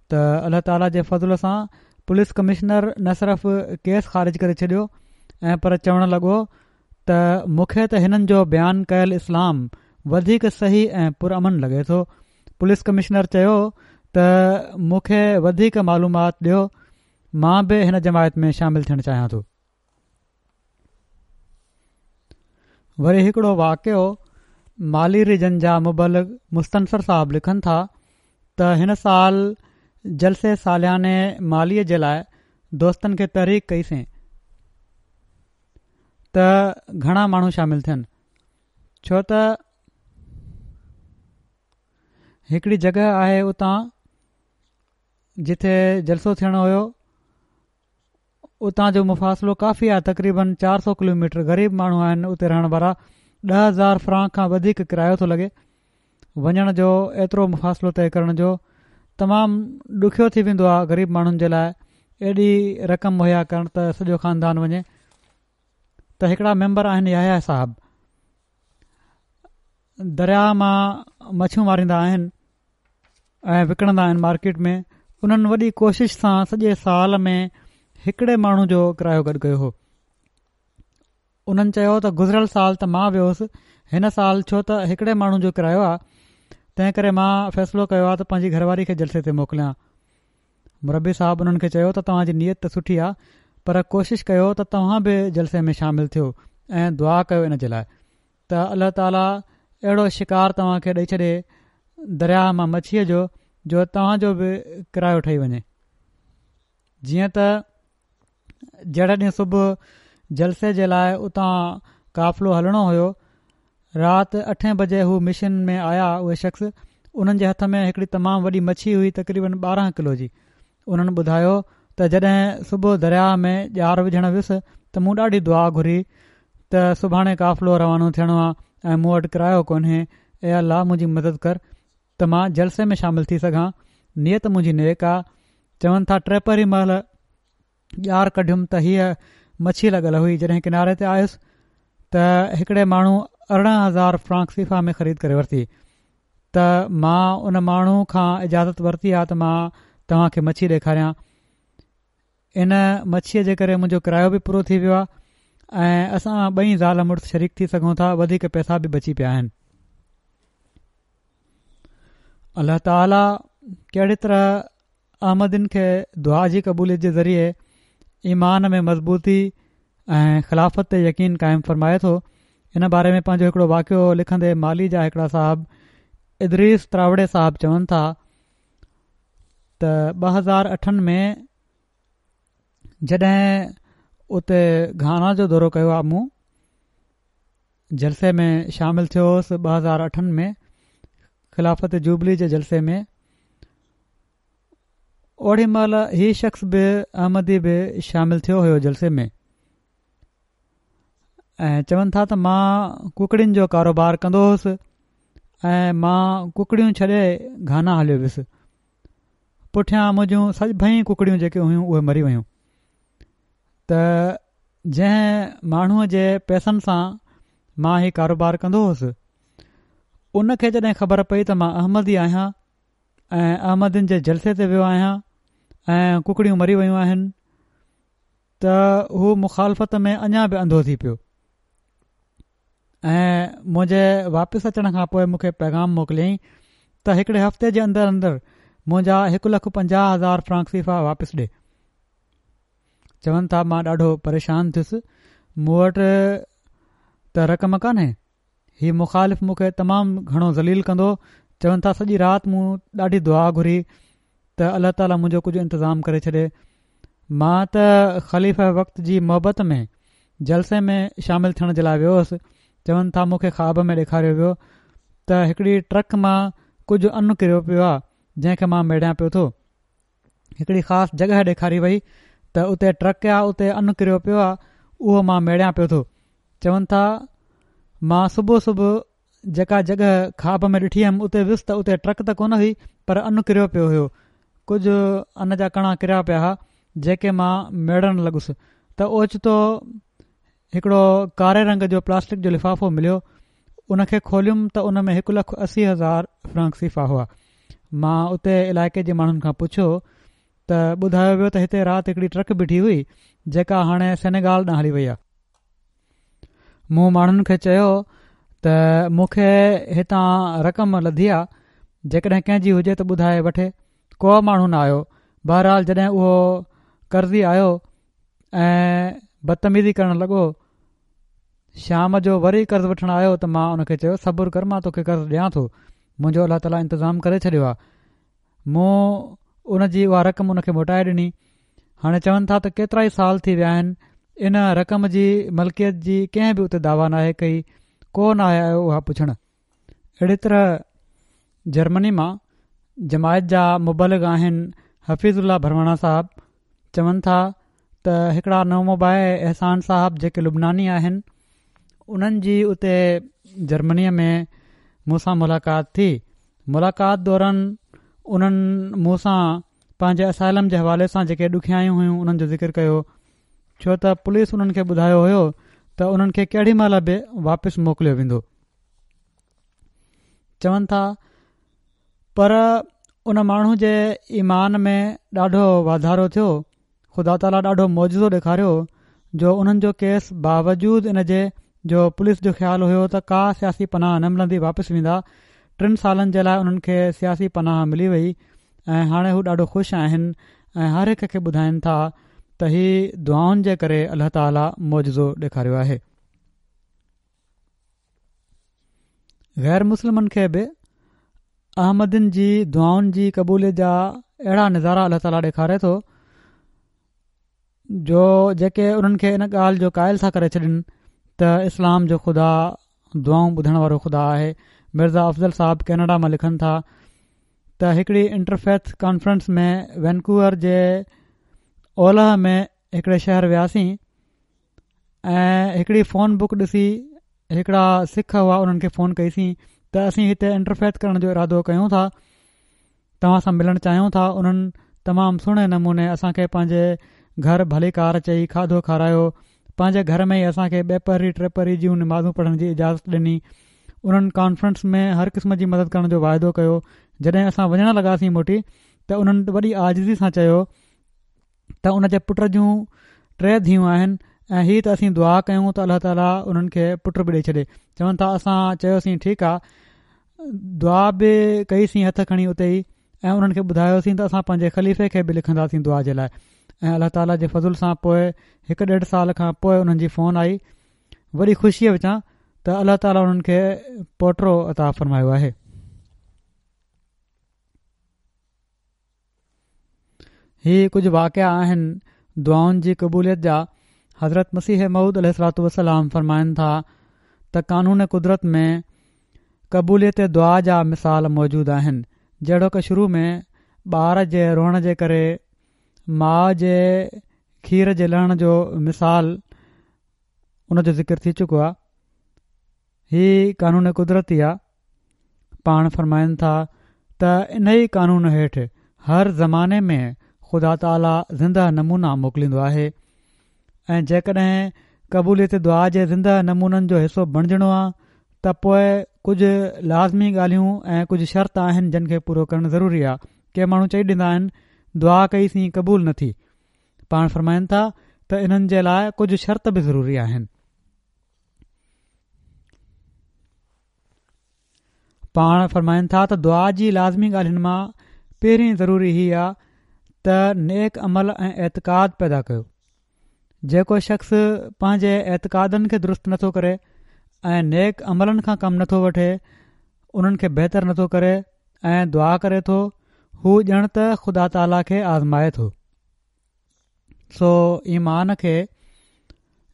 ته الله تعالي جي فضل سان پوليس ڪمشنر نه صرف ڪيس خارج ڪري ڇڏيو ۽ پر چوڻ لڳو ته مون کي ته هنن جو بيان ڪيل اسلام وڌيڪ صحيح ۽ پرامن لڳي ٿو. پوليس ڪمشنر چيو ته مون کي وڌيڪ معلومات ڏيو، مان به هن جماعت ۾ شامل ٿيڻ چاهيان ٿو. وري هڪڙو واقعو مالي ريجن جا مبلغ مستنصر صاحب لکن ٿا ته هن سال جلسي سالياني مالي جي لاء دوستن کي تحريڪ ڪئي سين. ته گهڻا ماڻهو شامل ٿين ڇو ته هڪڙي جڳهه آهي اتان جتي جلسو ٿيڻو هيو اتان جو مفاصلو ڪافي آهي تقريبن چار سو ڪلوميٽر غريب ماڻهو آهن اتي رهڻ وارا 10,000 فرانڪ کان وڌيڪ ڪرايو ٿو لڳي وڃڻ جو ايترو مفاصلو طئي ڪرڻ جو تمام ڏکيو ٿي ويندو آهي غريب ماڻهن جي لاء ايڏي رقم مهيا ڪرڻ ته سڄو خاندان وڃي ته هڪڙا ميمبر آهن يحيٰ صاحب درياء مان مڇيون ماريندا آهن ۽ وڪڻندا آهن مارڪيٽ ۾ انهن وڏي ڪوشش سان سڄي سال ۾ هڪڙي ماڻهو جو ڪرايو گڏ ڪيو هو انهن چيو ته گذريل سال ته مان ويو هوس، هن سال ڇو ته هڪڙي ماڻهو جو ڪرايو آ، تنهن ڪري مان فيصلو ڪيو آ ته پنهنجي گهر واري کي جلسي تي موڪليان. مربي صاحب انهن کي چيو ته توهان جي نيت ته سٺي آ، پر ڪوشش ڪيو ته توهان به جلسي ۾ شامل ٿيو ۽ دعا ڪيو ان جي لاء ته الله تعاليٰ اهڙو شڪار توهان کي ڏئي ڇڏي درياهه مان مڇيء جو، جو توهان جو به ڪرايو ٺهي وڃي. جيئن ته جهڙي ڏينهن صبح جلسي جي لاء اتان قافلو هلڻو هيو، رات اٺين بجي هو مشن ۾ آيا اهي شخص انهن جي هٿ ۾ هڪڙي تمام وڏي مڇي هئي تقريبن 12 ڪلو جي انهن ٻڌايو ته جڏهن صبح درياهه ۾ ڄار وجهڻ ويس ته مون ڏاڍي دعا گهري ته سڀاڻي قافلو روانو ٿيڻو آ ۽ مون وٽ ڪرايو ڪونهي اي الله منهنجي مدد ڪر ته مان جلسي ۾ شامل ٿي سگهان نيت منهنجي نيڪ آ چون ٿا ٽيپهري مهل ڄار ڪڍيم ته هيء مڇي لڳل هئي جڏهن ڪناري تي آيس ته هڪڙي ماڻهو 18,000 فرانڪ سيفا ۾ خريد ڪري ورتي ته مان ان ماڻهو کان اجازت ورتي آ ته مان توهان کي مڇي ڏيکاريان ان مڇيء جي ڪري منهنجو ڪرايو به پورو ٿي ويو آهي ۽ اسان ٻئي زال مڙس شريڪ ٿي سگهون ٿا وڌيڪ پئسا به بچي پيا آهن الله تعالي ڪهڙي طرح احمدين کي دعا جي قبوليت جي ذريعي ايمان ۾ مضبوطي ۽ خلافت تي يقين قائم فرمائي ٿو ان باري ۾ پنهنجو هڪڙو واقعو لکندي مالي جا هڪڙا صاحب ادريس تراوڙي صاحب چون ٿا ته 2008 ۾ جڏهن اتي گهانا جو دورو ڪيو آ مون جلسي ۾ شامل ٿيو هوس 2008 ۾ خلافت جوبلي جي جلسي ۾ اوڏي مهل هي شخص به احمدي به شامل ٿيو هيو جلسي ۾. ۽ چون ٿا ته مان ڪڪڙين جو ڪاروبار ڪندو هوس ۽ مان ڪڪڙيون ڇڏي گهانا هليو ويس. پٺيان منهنجون سڀئي ڪڪڙيون جيڪي هيون اهي مري ويون. ته جنهن ماڻهوء جي پئسن سان مان هي ڪاروبار ڪندو هوس ان کي جڏهن خبر پئي ته مان احمدي آهيان ۽ احمدين جي جلسي تي ويو آهيان ۽ ڪڪڙيون مري ويون آهن ته هو مخالفت ۾ اڃا به انڌو ٿي پيو ۽ منهنجي واپس اچڻ کان پوء مون کي پيغام موڪليائين ته هڪڙي هفتي جي اندر اندر منهنجا 1,50,000 فرانڪ سيفا واپس ڏي. چون ٿا مان ڏاڍو پريشان ٿيس مون وٽ ته رقم ڪانهي هي مخالف مون کي تمام گهڻو ذليل ڪندو. چون ٿا سڄي رات مون ڏاڍي دعا گهري ته الله تعاليٰ منهنجو ڪجهه انتظام ڪري ڇڏي. مان ته خليفه وقت جي محبت ۾ جلسي ۾ شامل ٿيڻ جي لاء ويو هوس. چون ٿا مون کي خواب ۾ ڏيکاريو ويو ته هڪڙي ٽرڪ مان ڪجهه ان ڪريو پيو آ جنهن کي مان ميڙيان پيو ٿو. هڪڙي خاص جڳهه ڏيکاري وئي ته اتي ٽرڪ آ اتي ان ڪريو پيو آ اهو مان ميڙيان پيو ٿو. چون ٿا مان صبح صبح جيڪا جڳهه خواب ۾ ڏٺي هيم اتي ويس ته اتي ٽرڪ ته ڪونه هئي پر ان ڪريو پيو هيو ڪجهه ان جا ڪڻا ڪريا پيا ها جيڪي مان ميڙڻ لڳس ته اوچتو هڪڙو ڪاري رنگ جو پلاسٽڪ جو لفافو مليو ان کي کوليم ته ان ۾ 1,80,000 فرانڪ سيفا هئا. مان اتي علائقي جي ماڻهن کان پڇيو ته ٻڌايو ويو ته هتي رات هڪڙي ٽرڪ بيٺي هئي جيڪا هاڻي سينيگال ڏانهن هلي وئي آهي. مون ماڻهن کي چيو ته مون کي هتان رقم لڌي آ جيڪڏهن ڪنهن جي هجي ته ٻڌائي وٺي. ڪو ماڻهو نه آيو. بهرحال جڏهن اهو قرضي آيو ۽ بدتميزي ڪرڻ لڳو. شام جو وري قرض وٺڻ آيو ته مان ان کي چيو صبر ڪر مان توکي قرض ڏيان ٿو منهنجو الله تعاليٰ انتظام ڪري ڇڏيو آهي مون ان جي اها رقم ان کي موٽائي ڏني هاڻي چون ٿا ته ڪيترا ئي سال ٿي ويا آهن ان رقم جي ملڪيت جي ڪنهن به اتي دعويٰ ناهي ڪئي ڪو ناهي آيو اها پڇڻ اهڙي طرح جرمني مان جماعت جا مبلغ آهن حفيظ الله ڀرواڻا صاحب چون ٿا ته هڪڙا نومبائع احسان صاحب جيڪي لبناني آهن انهن جي اتي جرمنيء ۾ مون سان ملاقات ٿي ملاقات دوران انهن مون سان پنهنجي اسائلم جي حوالي سان جيڪي ڏکيائيون هيون انهن جو ذڪر ڪيو ڇو ته پوليس انهن کي ٻڌايو هيو ته انهن کي ڪهڙي مهل به واپس موڪليو ويندو چون ٿا پر ان ماڻهو جي ايمان ۾ ڏاڍو واڌارو ٿيو خدا تعاليٰ ڏاڍو معجزو ڏيکاريو جو انهن جو ڪيس باوجود ان جي جو پوليس جو خيال هيو ته ڪا سياسي پناهه نه ملندي واپس ويندا ٽن سالن جي لاء انهن کي سياسي پناهه ملي وئي ۽ هاڻي هو ڏاڍو خوش آهن ۽ هر هڪ کي ٻڌائين ٿا ته هي دعائن جي ڪري الله تعاليٰ معجزو ڏيکاريو آهي. غير مسلمن کي به احمدين جي دعائن جي قبوليت جا اهڙا نظارا الله تعاليٰ ڏيکاري ٿو جو جيڪي انهن کي ان ڳالهه جو قائل ٿا ڪري ڇڏن ته اسلام جو خدا دعائون ٻڌڻ وارو خدا آهي مرزا افضل صاحب ڪينيڊا مان لکن ٿا ته هڪڙي انٽرفيٿ ڪانفرنس ۾ وينڪوور جي اولهه ۾ هڪڙي شهر وياسين ۽ هڪڙي فون بڪ ڏسي هڪڙا سک هئا انهن کي فون ڪئيسين ته اسين هتي انٽرفيٿ ڪرڻ جو ارادو ڪيون ٿا توهان سان ملڻ چاهيون ٿا انهن تمام سهڻي نموني اسان کي پنهنجي گهر ڀليڪار چئي کاڌو کارايو پنهنجي گهر ۾ ئي اسان کي ٻه پهري ٽي پهري جون نمازون پڙهڻ جي اجازت ڏني انهن ڪانفرنس ۾ هر قسم جي مدد ڪرڻ جو واعدو ڪيو جڏهن اسان وڃڻ لڳاسين موٽي ته انهن وڏي عاجزي سان چيو ته ان جي پٽ جون ٽي ڌيئون آهن ۽ هي ته اسين دعا ڪيون ته الله تعاليٰ انهن کي پٽ به ڏئي ڇڏي چون ٿا اسان چيوسين ٺيڪ آ دعا به ڪئي سين هٿ کڻي اتي ئي ۽ انهن کي ٻڌايوسين ته اسان پنهنجي خليفي کي به لکنداسين دعا جي لاء ۽ الله تعاليٰ جي فضل سان پوء هڪ ڏيڍ سال کان پوء انهن جي فون آئي وڏي خوشيء وچان ته الله تعاليٰ انهن کي پوٽو عطا فرمايو آهي. هي ڪجهه واقعا آهن دعائن جي قبوليت جا حضرت مسيح موعود عليه الصلوة والسلام فرمائن ٿا ته قانون قدرت ۾ قبوليت دعا جا مثال موجود آهن جهڙوڪ شروع ۾ ٻار جي روئڻ جي ڪري ماء جي کير جي لهڻ جو مثال ان جو ذڪر ٿي چڪو آهي. هي قانون قدرتي آ. پاڻ فرمائن ٿا ته انهي قانون هيٺ هر زماني ۾ خدا تعاليٰ زنده نمونا موڪليندو آهي ۽ جيڪڏهن قبوليت دعا جي زنده نمونن جو حصو بڻجڻو آ ته پوء ڪجهه لازمي ڳالهيون ۽ ڪجهه شرط آهن جن کي پورو ڪرڻ ضروري آ. ڪي ماڻهو چئي ڏيندا آهن دعا ڪئي سين قبول نه ٿي. پاڻ فرمائن ٿا ته انهن جي لاء ڪجهه شرط به ضروري آهن. پاڻ فرمائن ٿا ته دعا جي لازمي ڳالهين مان پهرين ضروري هي آ ته نيڪ عمل ۽ اعتقاد پيدا ڪيو. جيڪو شخص پنهنجي اعتقادن کي درست نٿو ڪري ۽ نيڪ عملن کان ڪم نٿو وٺي انهن کي بهتر نٿو ڪري ۽ دعا ڪري ٿو هو ڄڻ ته خدا تعاليٰ کي آزمائي ٿو. سو ايمان کي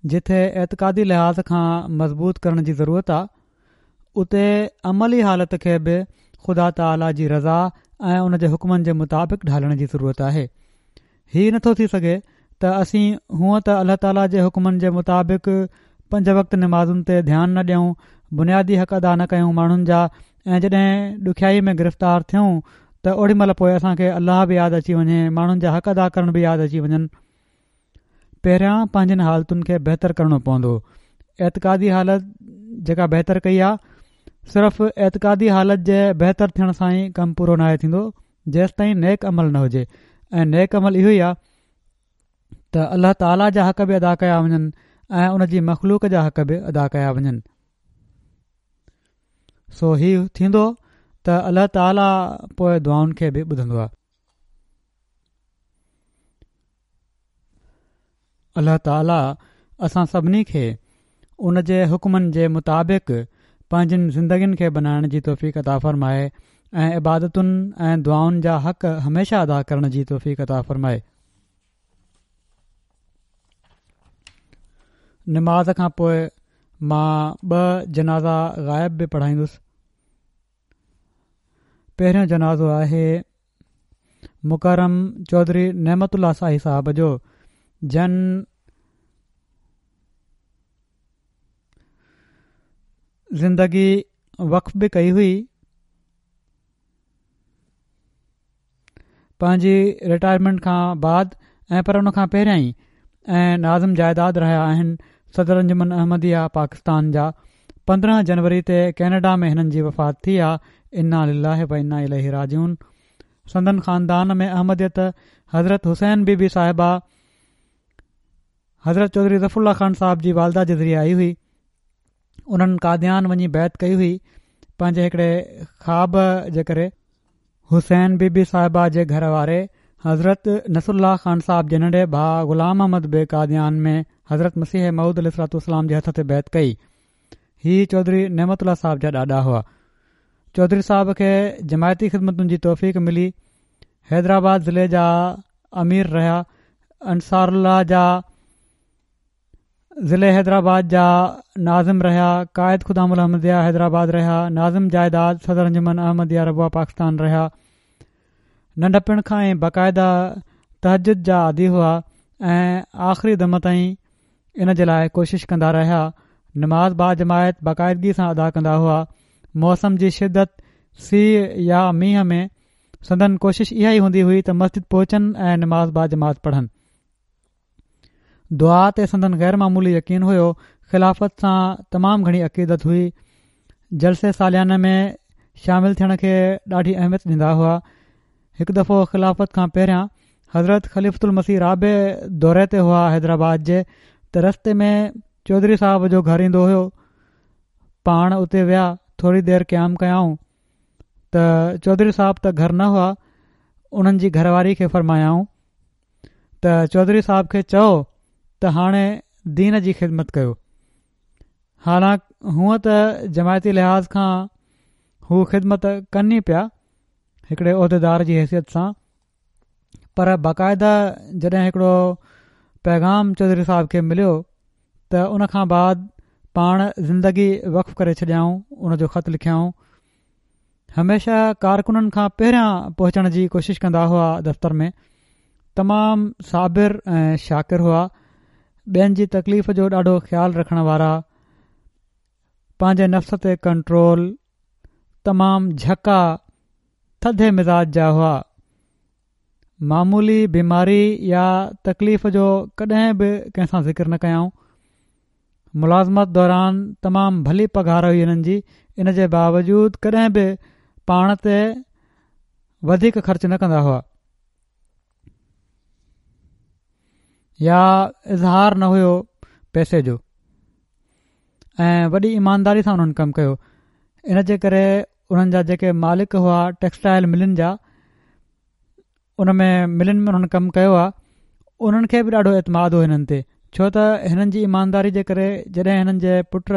جتي اعتقادي لحاظ کان مضبوط ڪرڻ جي ضرورت آ اتي عملي حالت کي به خدا تعاليٰ جي رضا ۽ ان جي حڪمن جي مطابق ڍالڻ جي ضرورت آهي. هي نٿو ٿي سگهي ته اسين هونء ته الله تعاليٰ جي حڪمن جي مطابق پنج وقت نمازن تي ڌيان نه ڏيون، بنيادي حق ادا نه ڪيون ماڻهن جا ۽ جڏهن ڏکيائي ۾ گرفتار ٿيون ته اوڏي مهل پوء اسان کي الله به ياد اچي وڃي ماڻهن جا حق ادا ڪرڻ به ياد اچي وڃن. پهريان پنهنجين حالتن کي بهتر ڪرڻو پوندو. اعتقادي حالت جيڪا بهتر ڪئي آ صرف اعتقادي حالت جي بهتر ٿيڻ سان ئي ڪم پورو ناهي ٿيندو جيستائين نيڪ عمل نه هجي ۽ نيڪ عمل اهو ئي آ ته الله تعاليٰ جا حق به ادا ڪيا وڃن ۽ ان جي مخلوق جا حق به ادا ڪيا وڃن سو هي ٿيندو ته الله تعاليٰ پوء دعائن کي به ٻڌندو آهي. الله تعاليٰ اسان سڀني کي ان جي حڪمن جي مطابق پنهنجين زندگين کي بنائڻ جي توفيق عطا فرمائي ۽ عبادتن ۽ دعائن جا حق هميشه ادا ڪرڻ جي توفيق عطا فرمائي. نماز کان پوء مان ٻه جنازا غائب به پڙهائيندس. پهريون جنازو آهي مڪرم چوڌري نعمت الله ساهي صاحب جو جن زندگي وقف به ڪئي هئي پنهنجي رٽائرمينٽ کان بعد ۽ پر ان کان پهريان ئي ۽ ناظم جائيداد رهيا آهن صدر انجمن احمديه پاڪستان جا 15 جنوري تي ڪينيڊا ۾ هنن جي وفات ٿي آ انا لله و انا اليه راجعون سندن خاندان ۾ احمديت حضرت حسين بي بي صاحبه حضرت چوڌري ظفر الله خان صاحب جي والده جي ذريعي آئي هئي انهن قاديان وڃي بيعت ڪئي هئي پنهنجي هڪڙي خواب جي ڪري. حسين بي بي صاحبه جي گهر واري حضرت نصر الله خان صاحب جي ننڍي ڀاء غلام احمد به قاديان ۾ حضرت مسيح موعود عليه الصلوة والسلام جي هٿ تي بيعت ڪئي. هي چوڌري نعمت الله صاحب جا ڏاڏا هئا. چوڌري صاحب کي جماعتي خدمتن جي توفيق ملي. حيدرآباد ضلعي جا امير رهيا. انصار الله جا ضلعي حيدرآباد جا ناظم رهيا، قائد خدام الاحمديه حيدرآباد رهيا، ناظم جائيداد صدر انجمن احمديه ربوه پاڪستان رهيا. ننڍپڻ کان ئي باقاعده تهجد جا عادي هئا ۽ آخري دم تائين ان جي لاء ڪوشش ڪندا رهيا. نماز باجماعت باقاعدگي سان ادا ڪندا هئا. موسم جي شدت سيء يا مينهن ۾ سندن ڪوشش اها ئي هوندي هئي ته مسجد پهچن ۽ نماز باجماعت پڙهن. دعا تي سندن غير معمولي يقين هيو، خلافت سان تمام گهڻي عقيدت هئي، جلسي سالياني ۾ شامل ٿيڻ کي ڏاڍي اهميت ڏيندا هئا، هڪ دفعو خلافت کان پهريان حضرت خليفة المسيح رابع دوري تي هئا حيدرآباد جي ته رستي ۾ چوڌري صاحب جو گهر ايندو هيو، پاڻ اتي ويا ٿوري دير قيام ڪيائون ته چوڌري صاحب ته گهر نه هئا، انهن جي گهر واري کي فرمايائون. ته چوڌري صاحب کي چئو ته هاڻي دين جي خدمت ڪيو حالانڪ هونء ته جماعتي لحاظ کان هو خدمت ڪن ئي پيا هڪڙي عهديدار جي حيثيت سان پر باقاعده جڏهن هڪڙو پيغام چوڌري صاحب کي مليو ته ان کان بعد پاڻ زندگي وقف ڪري ڇڏيائون ان جو خط لکيائون. هميشه ڪارڪنن کان پهريان پهچڻ جي ڪوشش ڪندا هئا دفتر ۾ تمام صابر ۽ شاڪر هئا ٻين جي تڪليف جو ڏاڍو خيال رکڻ وارا پنهنجي نفس تي ڪنٽرول تمام جهڪا ٿڌي مزاج جا هئا معمولي بيماري يا تڪليف جو ڪڏهن به ڪنهن سان ذڪر نه ڪيائون ملازمت دوران تمام ڀلي پگهار هئي هنن جي ان جي باوجود ڪڏهن به پاڻ تي وڌيڪ خرچ نه ڪندا هئا يا اظهار نه هيو پئسي جو ۽ وڏي ايمانداري سان انهن ڪم ڪيو ان جي ڪري انهن جا جيڪي مالڪ هئا ٽيڪسٽائل ملن جا ان ۾ ملن ۾ انهن ڪم ڪيو آهي انهن کي به ڏاڍو اعتماد هو هنن تي ڇو ته هنن جي ايمانداري جي ڪري جڏهن هنن جي پٽ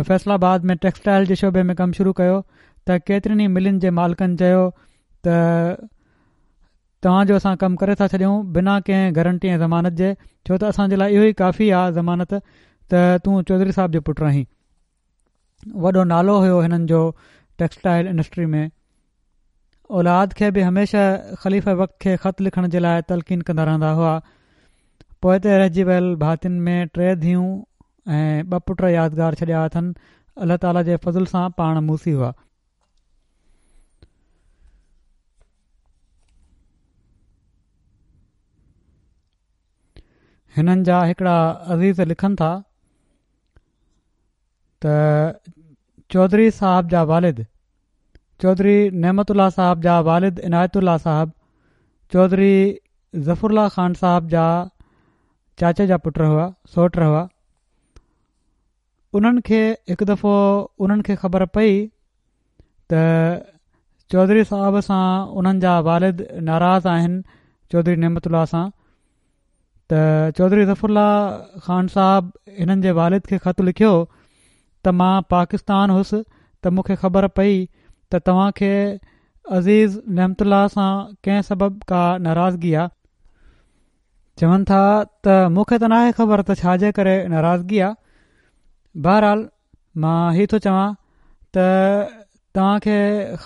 فيصل آباد ۾ ٽيڪسٽائل جي شعبي ۾ ڪم شروع ڪيو ته ڪيترين ئي ملن جي مالڪن چيو ته توهان جو اسان ڪم ڪري ٿا ڇڏيون بنا ڪنهن گارنٽي ۽ ضمانت جي ڇو ته اسان جي لاء اهو ئي ڪافي آهي ضمانت ته تون چوڌري صاحب جو پٽ آهين وڏو نالو هيو هنن جو ٽيڪسٽائل انڊسٽري ۾ اولاد کي به هميشه خليفه وقت کي خط لکڻ جي لاء تلقين ڪندا رهندا هئا پوئتي رهجي ويل ڀاتين ۾ ٽي ڌيئون ۽ ٻه پٽ يادگار ڇڏيا اٿن الله تعالي جي فضل سان پاڻ موصي هئا. هنن جا هڪڙا عزيز لکن ٿا ته چوڌري صاحب جا والد چوڌري نعمت الله صاحب جا والد عنايت الله صاحب چوڌري ظفر الله خان صاحب جا چاچي جا پٽ هئا سوٽ هئا انهن کي هڪ دفعو انهن کي خبر پئي ته چوڌري صاحب سان انهن جا والد ناراض آهن چوڌري نعمت الله سان ته چوڌري ظفر الله خان صاحب هنن جي والد کي خط لکيو ته مان پاڪستان هوس ته مون کي خبر پئي ته توهان کي عزيز نعمت الله سان ڪنهن سبب ڪا ناراضگي آ. چون ٿا ته مون کي ته ناهي خبر ته ڇا جي ڪري ناراضگي آ. بهرحال مان هي ٿو چوان ته توهان کي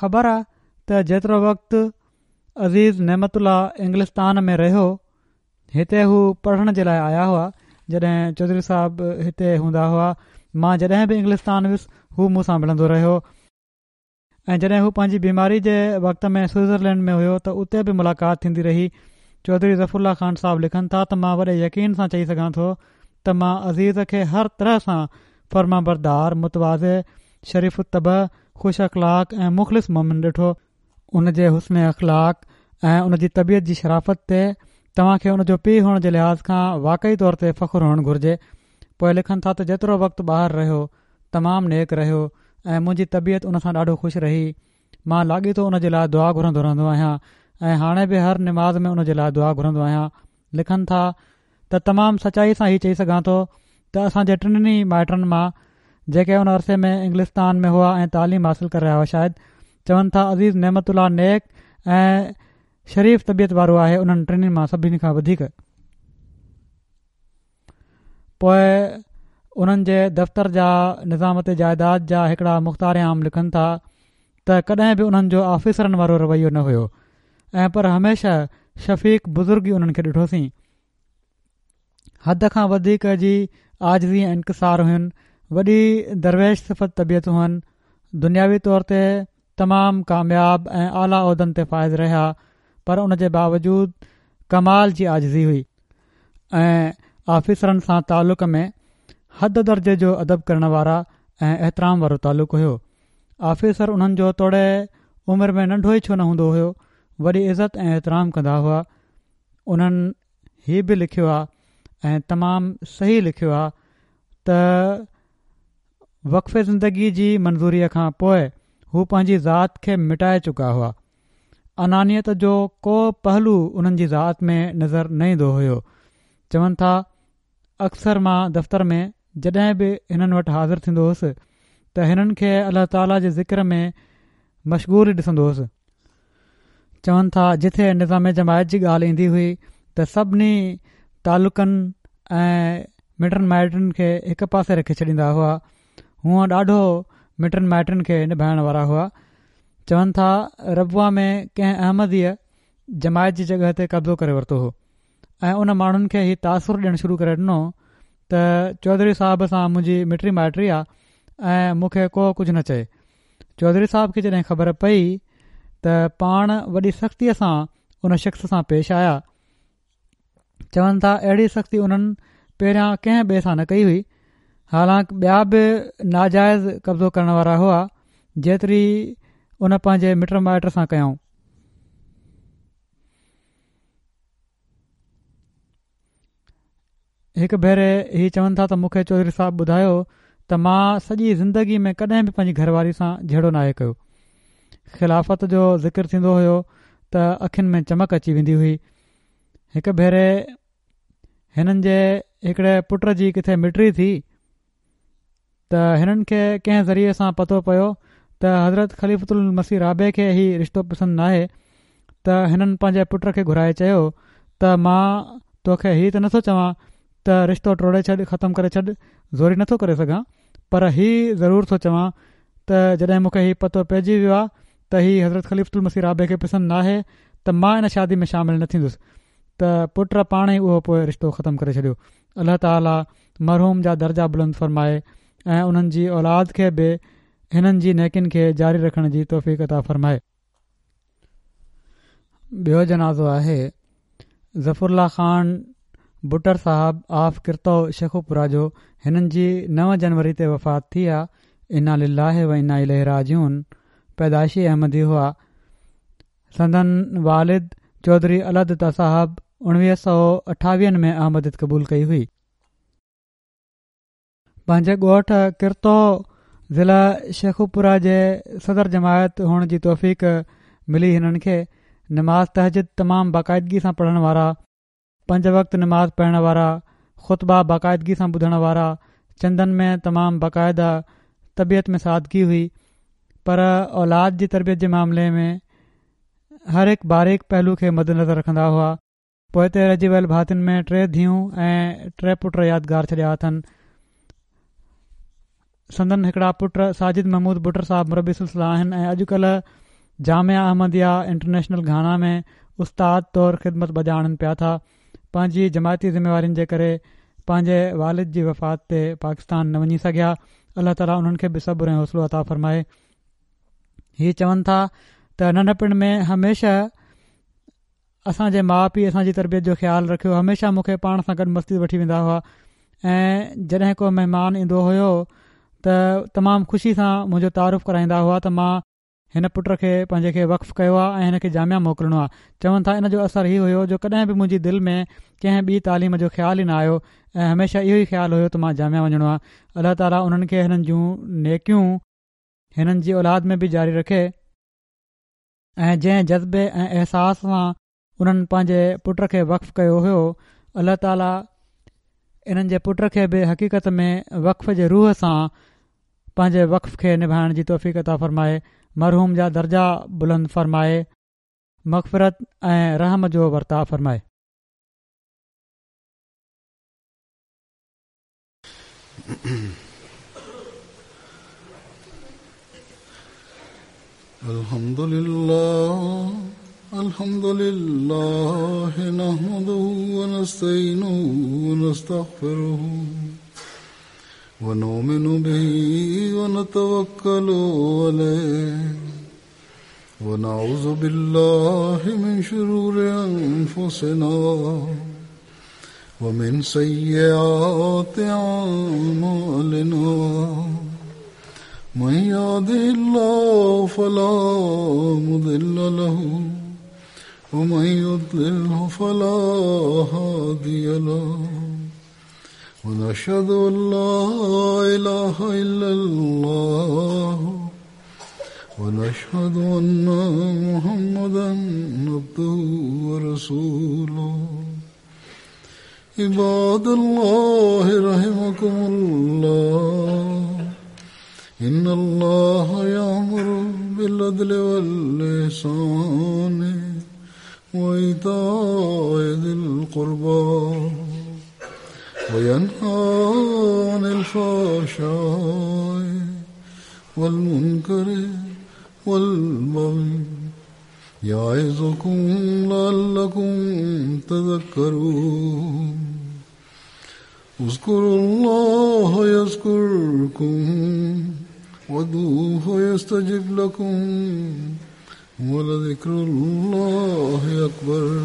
خبر آ ته جيترو وقت عزيز نعمت الله انگلستان ۾ رهيو هتي هو پڙهڻ جي لاء آيا هئا جڏهن چوڌري صاحب هتي هوندا هئا مان جڏهن به انگلستان ويس هو مون سان ملندو رهيو ۽ جڏهن هو پنهنجي بيماري جي وقت ۾ سوئٽزرلينڊ ۾ هيو ته اتي به ملاقات ٿيندي رهي چوڌري ظفر الله خان صاحب لکن ٿا ته مان وڏي يقين سان چئي سگهان ٿو ته مان عزيز کي هر طرح سان فرمانبردار متواضع شريف الطبع خوش اخلاق ۽ مخلص مومن ڏٺو ان جي حسن اخلاق ۽ ان جي طبيعت جي شرافت تي توهان کي ان جو پيء هئڻ جي لحاظ کان واقعي طور تي فخر هئڻ گهرجي. پوء لکن ٿا ته جيترو وقت ٻاهر رهيو تمام نيڪ رهيو ۽ منهنجي طبيعت ان سان ڏاڍو خوش رهي. مان لاڳيتو ان جي لاء دعا گهرندو رهندو آهيان ۽ هاڻي به هر نماز ۾ ان جي لاء دعا گهرندو آهيان. لکن ٿا ته تمام سچائي سان هي چئي سگهان ٿو ته اسان جي ٽنهي ئي مائٽن مان جيڪي ان عرصي ۾ انگلستان ۾ هئا ۽ تعليم حاصل ڪري رهيا هئا شايد چون ٿا عزيز نعمت الله نيڪ ۽ شريف طبيعت وارو آهي انهن ٽنهي مان سڀني کان وڌيڪ. پوء انهن جي دفتر جا نظامت جائيداد جا هڪڙا مختار عام لکن ٿا ته ڪڏهن به انهن جو آفيسرن وارو رويو نه هيو ۽ پر هميشه شفيق بزرگ ئي انهن کي ڏٺوسين. حد کان وڌيڪ جي عاجزي ۽ انڪسار هين، وڏي درويش صفت طبيعت هئن، دنياوي طور تي تمام ڪامياب ۽ اعليٰ عهدن تي فائز رهيا پر ان جي باوجود ڪمال جي عاجزي هئي. ۽ آفيسرن سان تعلق ۾ حد درجي جو ادب ڪرڻ وارا ۽ احترام وارو تعلق هيو. آفيسر انهن جو توڙي عمر ۾ ننڍو ئي ڇو نه هوندو هيو وڏي عزت ۽ احترام ڪندا هئا. انهن هي به لکيو آ ۽ تمام صحيح لکيو آ ته وقف زندگي جي منظوريء کان پوء هو پنهنجي ذات کي مٽائي چڪا هئا. انانيت جو ڪو پهلو انهن جي ذات ۾ نظر نه ايندو هيو. چون ٿا اڪثر مان دفتر ۾ جڏهن به هنن وٽ حاضر ٿيندو هوس ته هنن کي الله تعاليٰ جي ذڪر ۾ مشغول ئي ڏسندو هوس. چون ٿا جٿي نظام جماعت جي ڳالهه ايندي هئي ته سڀني تعلقن ۽ مٽن مائٽن کي هڪ پاسي رکي ڇڏيندا هئا. هونء ڏاڍو مٽن مائٽن کي نڀائڻ وارا هئا. چون ٿا ربوه ۾ ڪنهن احمديء جماعت جي جڳهه تي قبضو ڪري ورتو هو ۽ ان ماڻهن کي هي تاثر ڏيڻ شروع ڪري ڏنو ته چوڌري صاحب سان منهنجي مٽي مائٽي آ ۽ مون کي ڪو ڪجهه نه چئي. چوڌري صاحب کي جڏهن خبر پئي ته پاڻ وڏي سختيء سان ان شخص سان پيش آيا. چون ٿا اهڙي سختي انهن پهريان ڪنهن ٻئي سان نه ڪئي هئي حالانڪ ٻيا به ناجائز قبضو ڪرڻ وارا هئا جيتري ان پنهنجي مٽ مائٽ سان ڪيائون. هڪ ڀيري هي چون ٿا ته مون کي چوڌري صاحب ٻڌايو ته مان سڄي زندگي ۾ ڪڏهن به پنهنجي گهر واري سان جهيڙو ناهي ڪيو. خلافت جو ذڪر ٿيندو هيو ته اکين ۾ چمڪ اچي ويندي هئي. هڪ ڀيري هنن جي هڪڙي پٽ جي ڪٿي مٽي ٿي ته هنن کي ڪنهن ذريعي سان پتو پيو ته حضرت خليفة المسيح رابع کي هي رشتو پسند ناهي ته هنن پنهنجي پٽ کي گهرائي چيو ته مان توکي هي ته نٿو چوان ته رشتو ٽوڙي ڇڏ ختم ڪري ڇڏ زوري نٿو ڪري سگهان پر هي ضرور ٿو چوان ته جڏهن مون کي هي پتو پئجي ويو آهي ته هي حضرت خليفة المسيح رابع کي پسند ناهي ته مان ان شادي ۾ شامل نه ٿيندس ته پٽ پاڻ ئي اهو پوء رشتو ختم ڪري ڇڏيو. الله تعالي مرحوم جا درجا بلند فرمائي ۽ انهن جي اولاد کي به هنن جي نيڪين کي جاري رکڻ جي توفيق عطا فرمائي. ٻيو جنازو آهي ظفر الله خان بٽر صاحب آف ڪرتو شيخوپورا جو هنن جي 9 جنوري تي وفات ٿي آ انا لله و انا اليه راجعون پيدائشي احمدي هئا. سندن والد چوڌري الله دتا صاحب اڻويهه سؤ اٺاويهن ۾ احمديت قبول ڪئي هئي. پنهنجي ڳوٺ ڪرتو ضلع شيخوپورا جي صدر جماعت هئڻ جي توفيق ملي هنن کي نماز تهجد تمام باقاعدگي سان پڙهڻ وارا پنج وقت نماز پڙهڻ وارا، خطبا باقاعدگي سان ٻڌڻ وارا، چندن ۾ تمام باقاعده، طبيعت ۾ سادگي هئي، پر اولاد جي تربيت جي معاملي ۾ هر هڪ باريڪ پهلو کي مدنظر رکندا هئا. پوئتي رهجي ويل ڀاتين ۾ ٽي ڌيئون ۽ ٽي پٽ يادگار ڇڏيا اٿن. سندن هڪڙا پٽ ساجد محمود بٽر صاحب مربي سلسله آهن ۽ اڄ ڪلهه جامعه احمديه انٽرنيشنل گهانا ۾ استاد طور خدمت بجا آڻن پيا ٿا. پنهنجي جماعتي ذميوارين جي ڪري پنهنجي والد جي وفات تي پاڪستان نه وڃي سگهيا. الله تعالي انهن کي به صبر ۽ حوصلو عطا فرمائي. هي چون ٿا ته ننڍپڻ ۾ هميشه اسان جي ماء پيء اسان جي تربيت جو خيال رکيو هميشه مون کي پاڻ سان گڏ مسجد وٺي ويندا هئا ۽ جڏهن ڪو مهمان ايندو هيو ته تمام خوشي سان منهنجو تعارف ڪرائيندا هئا ته مان هن پٽ کي پنهنجي کي وقف ڪيو آهي ۽ هن کي جامعه موڪلڻو آهي چون ٿا ان جو اثر هي هيو جو ڪڏهن به منهنجي دل ۾ ڪنهن ٻي تعليم جو خيال ئي نه آيو ۽ هميشه اهو ئي خيال هيو ته مان جامعه وڃڻو آهي الله تعالي انهن کي هنن جون نيڪيون هنن جي اولاد ۾ به جاري رکي ۽ جنهن جذبي ۽ احساس سان انهن پنهنجي پٽ کي وقف ڪيو هيو الله تعالي انهن جي پٽ کي به حقيقت ۾ وقف جي روح سان پنهنجي وقف کي نڀائڻ جي توفيق عطا فرمائي مرحوم جا درجا بلند فرمائي مغفرت ۽ رحم جو ورتاء فرمائي. الحمد لله الحمد لله نحمده ونستعينه ونستغفره ونؤمن به ونتوكل عليه ونعوذ بالله من شرور أنفسنا ومن سيئات أعمالنا من يهده الله فلا مضل له ومن يضلله فلا هادي له ونشهد أن لا إله إلا الله ونشهد أن محمدا عبده ورسوله عباد الله رحمكم الله إن الله يأمر بالعدل والإحسان وإيتاء ذي القربى وينهى عن الفحشاء والمنكر والبغي يعظكم لعلكم تذكرون. اذكروا الله يذكركم وادعوه يستجب لكم ولذكر الله أكبر.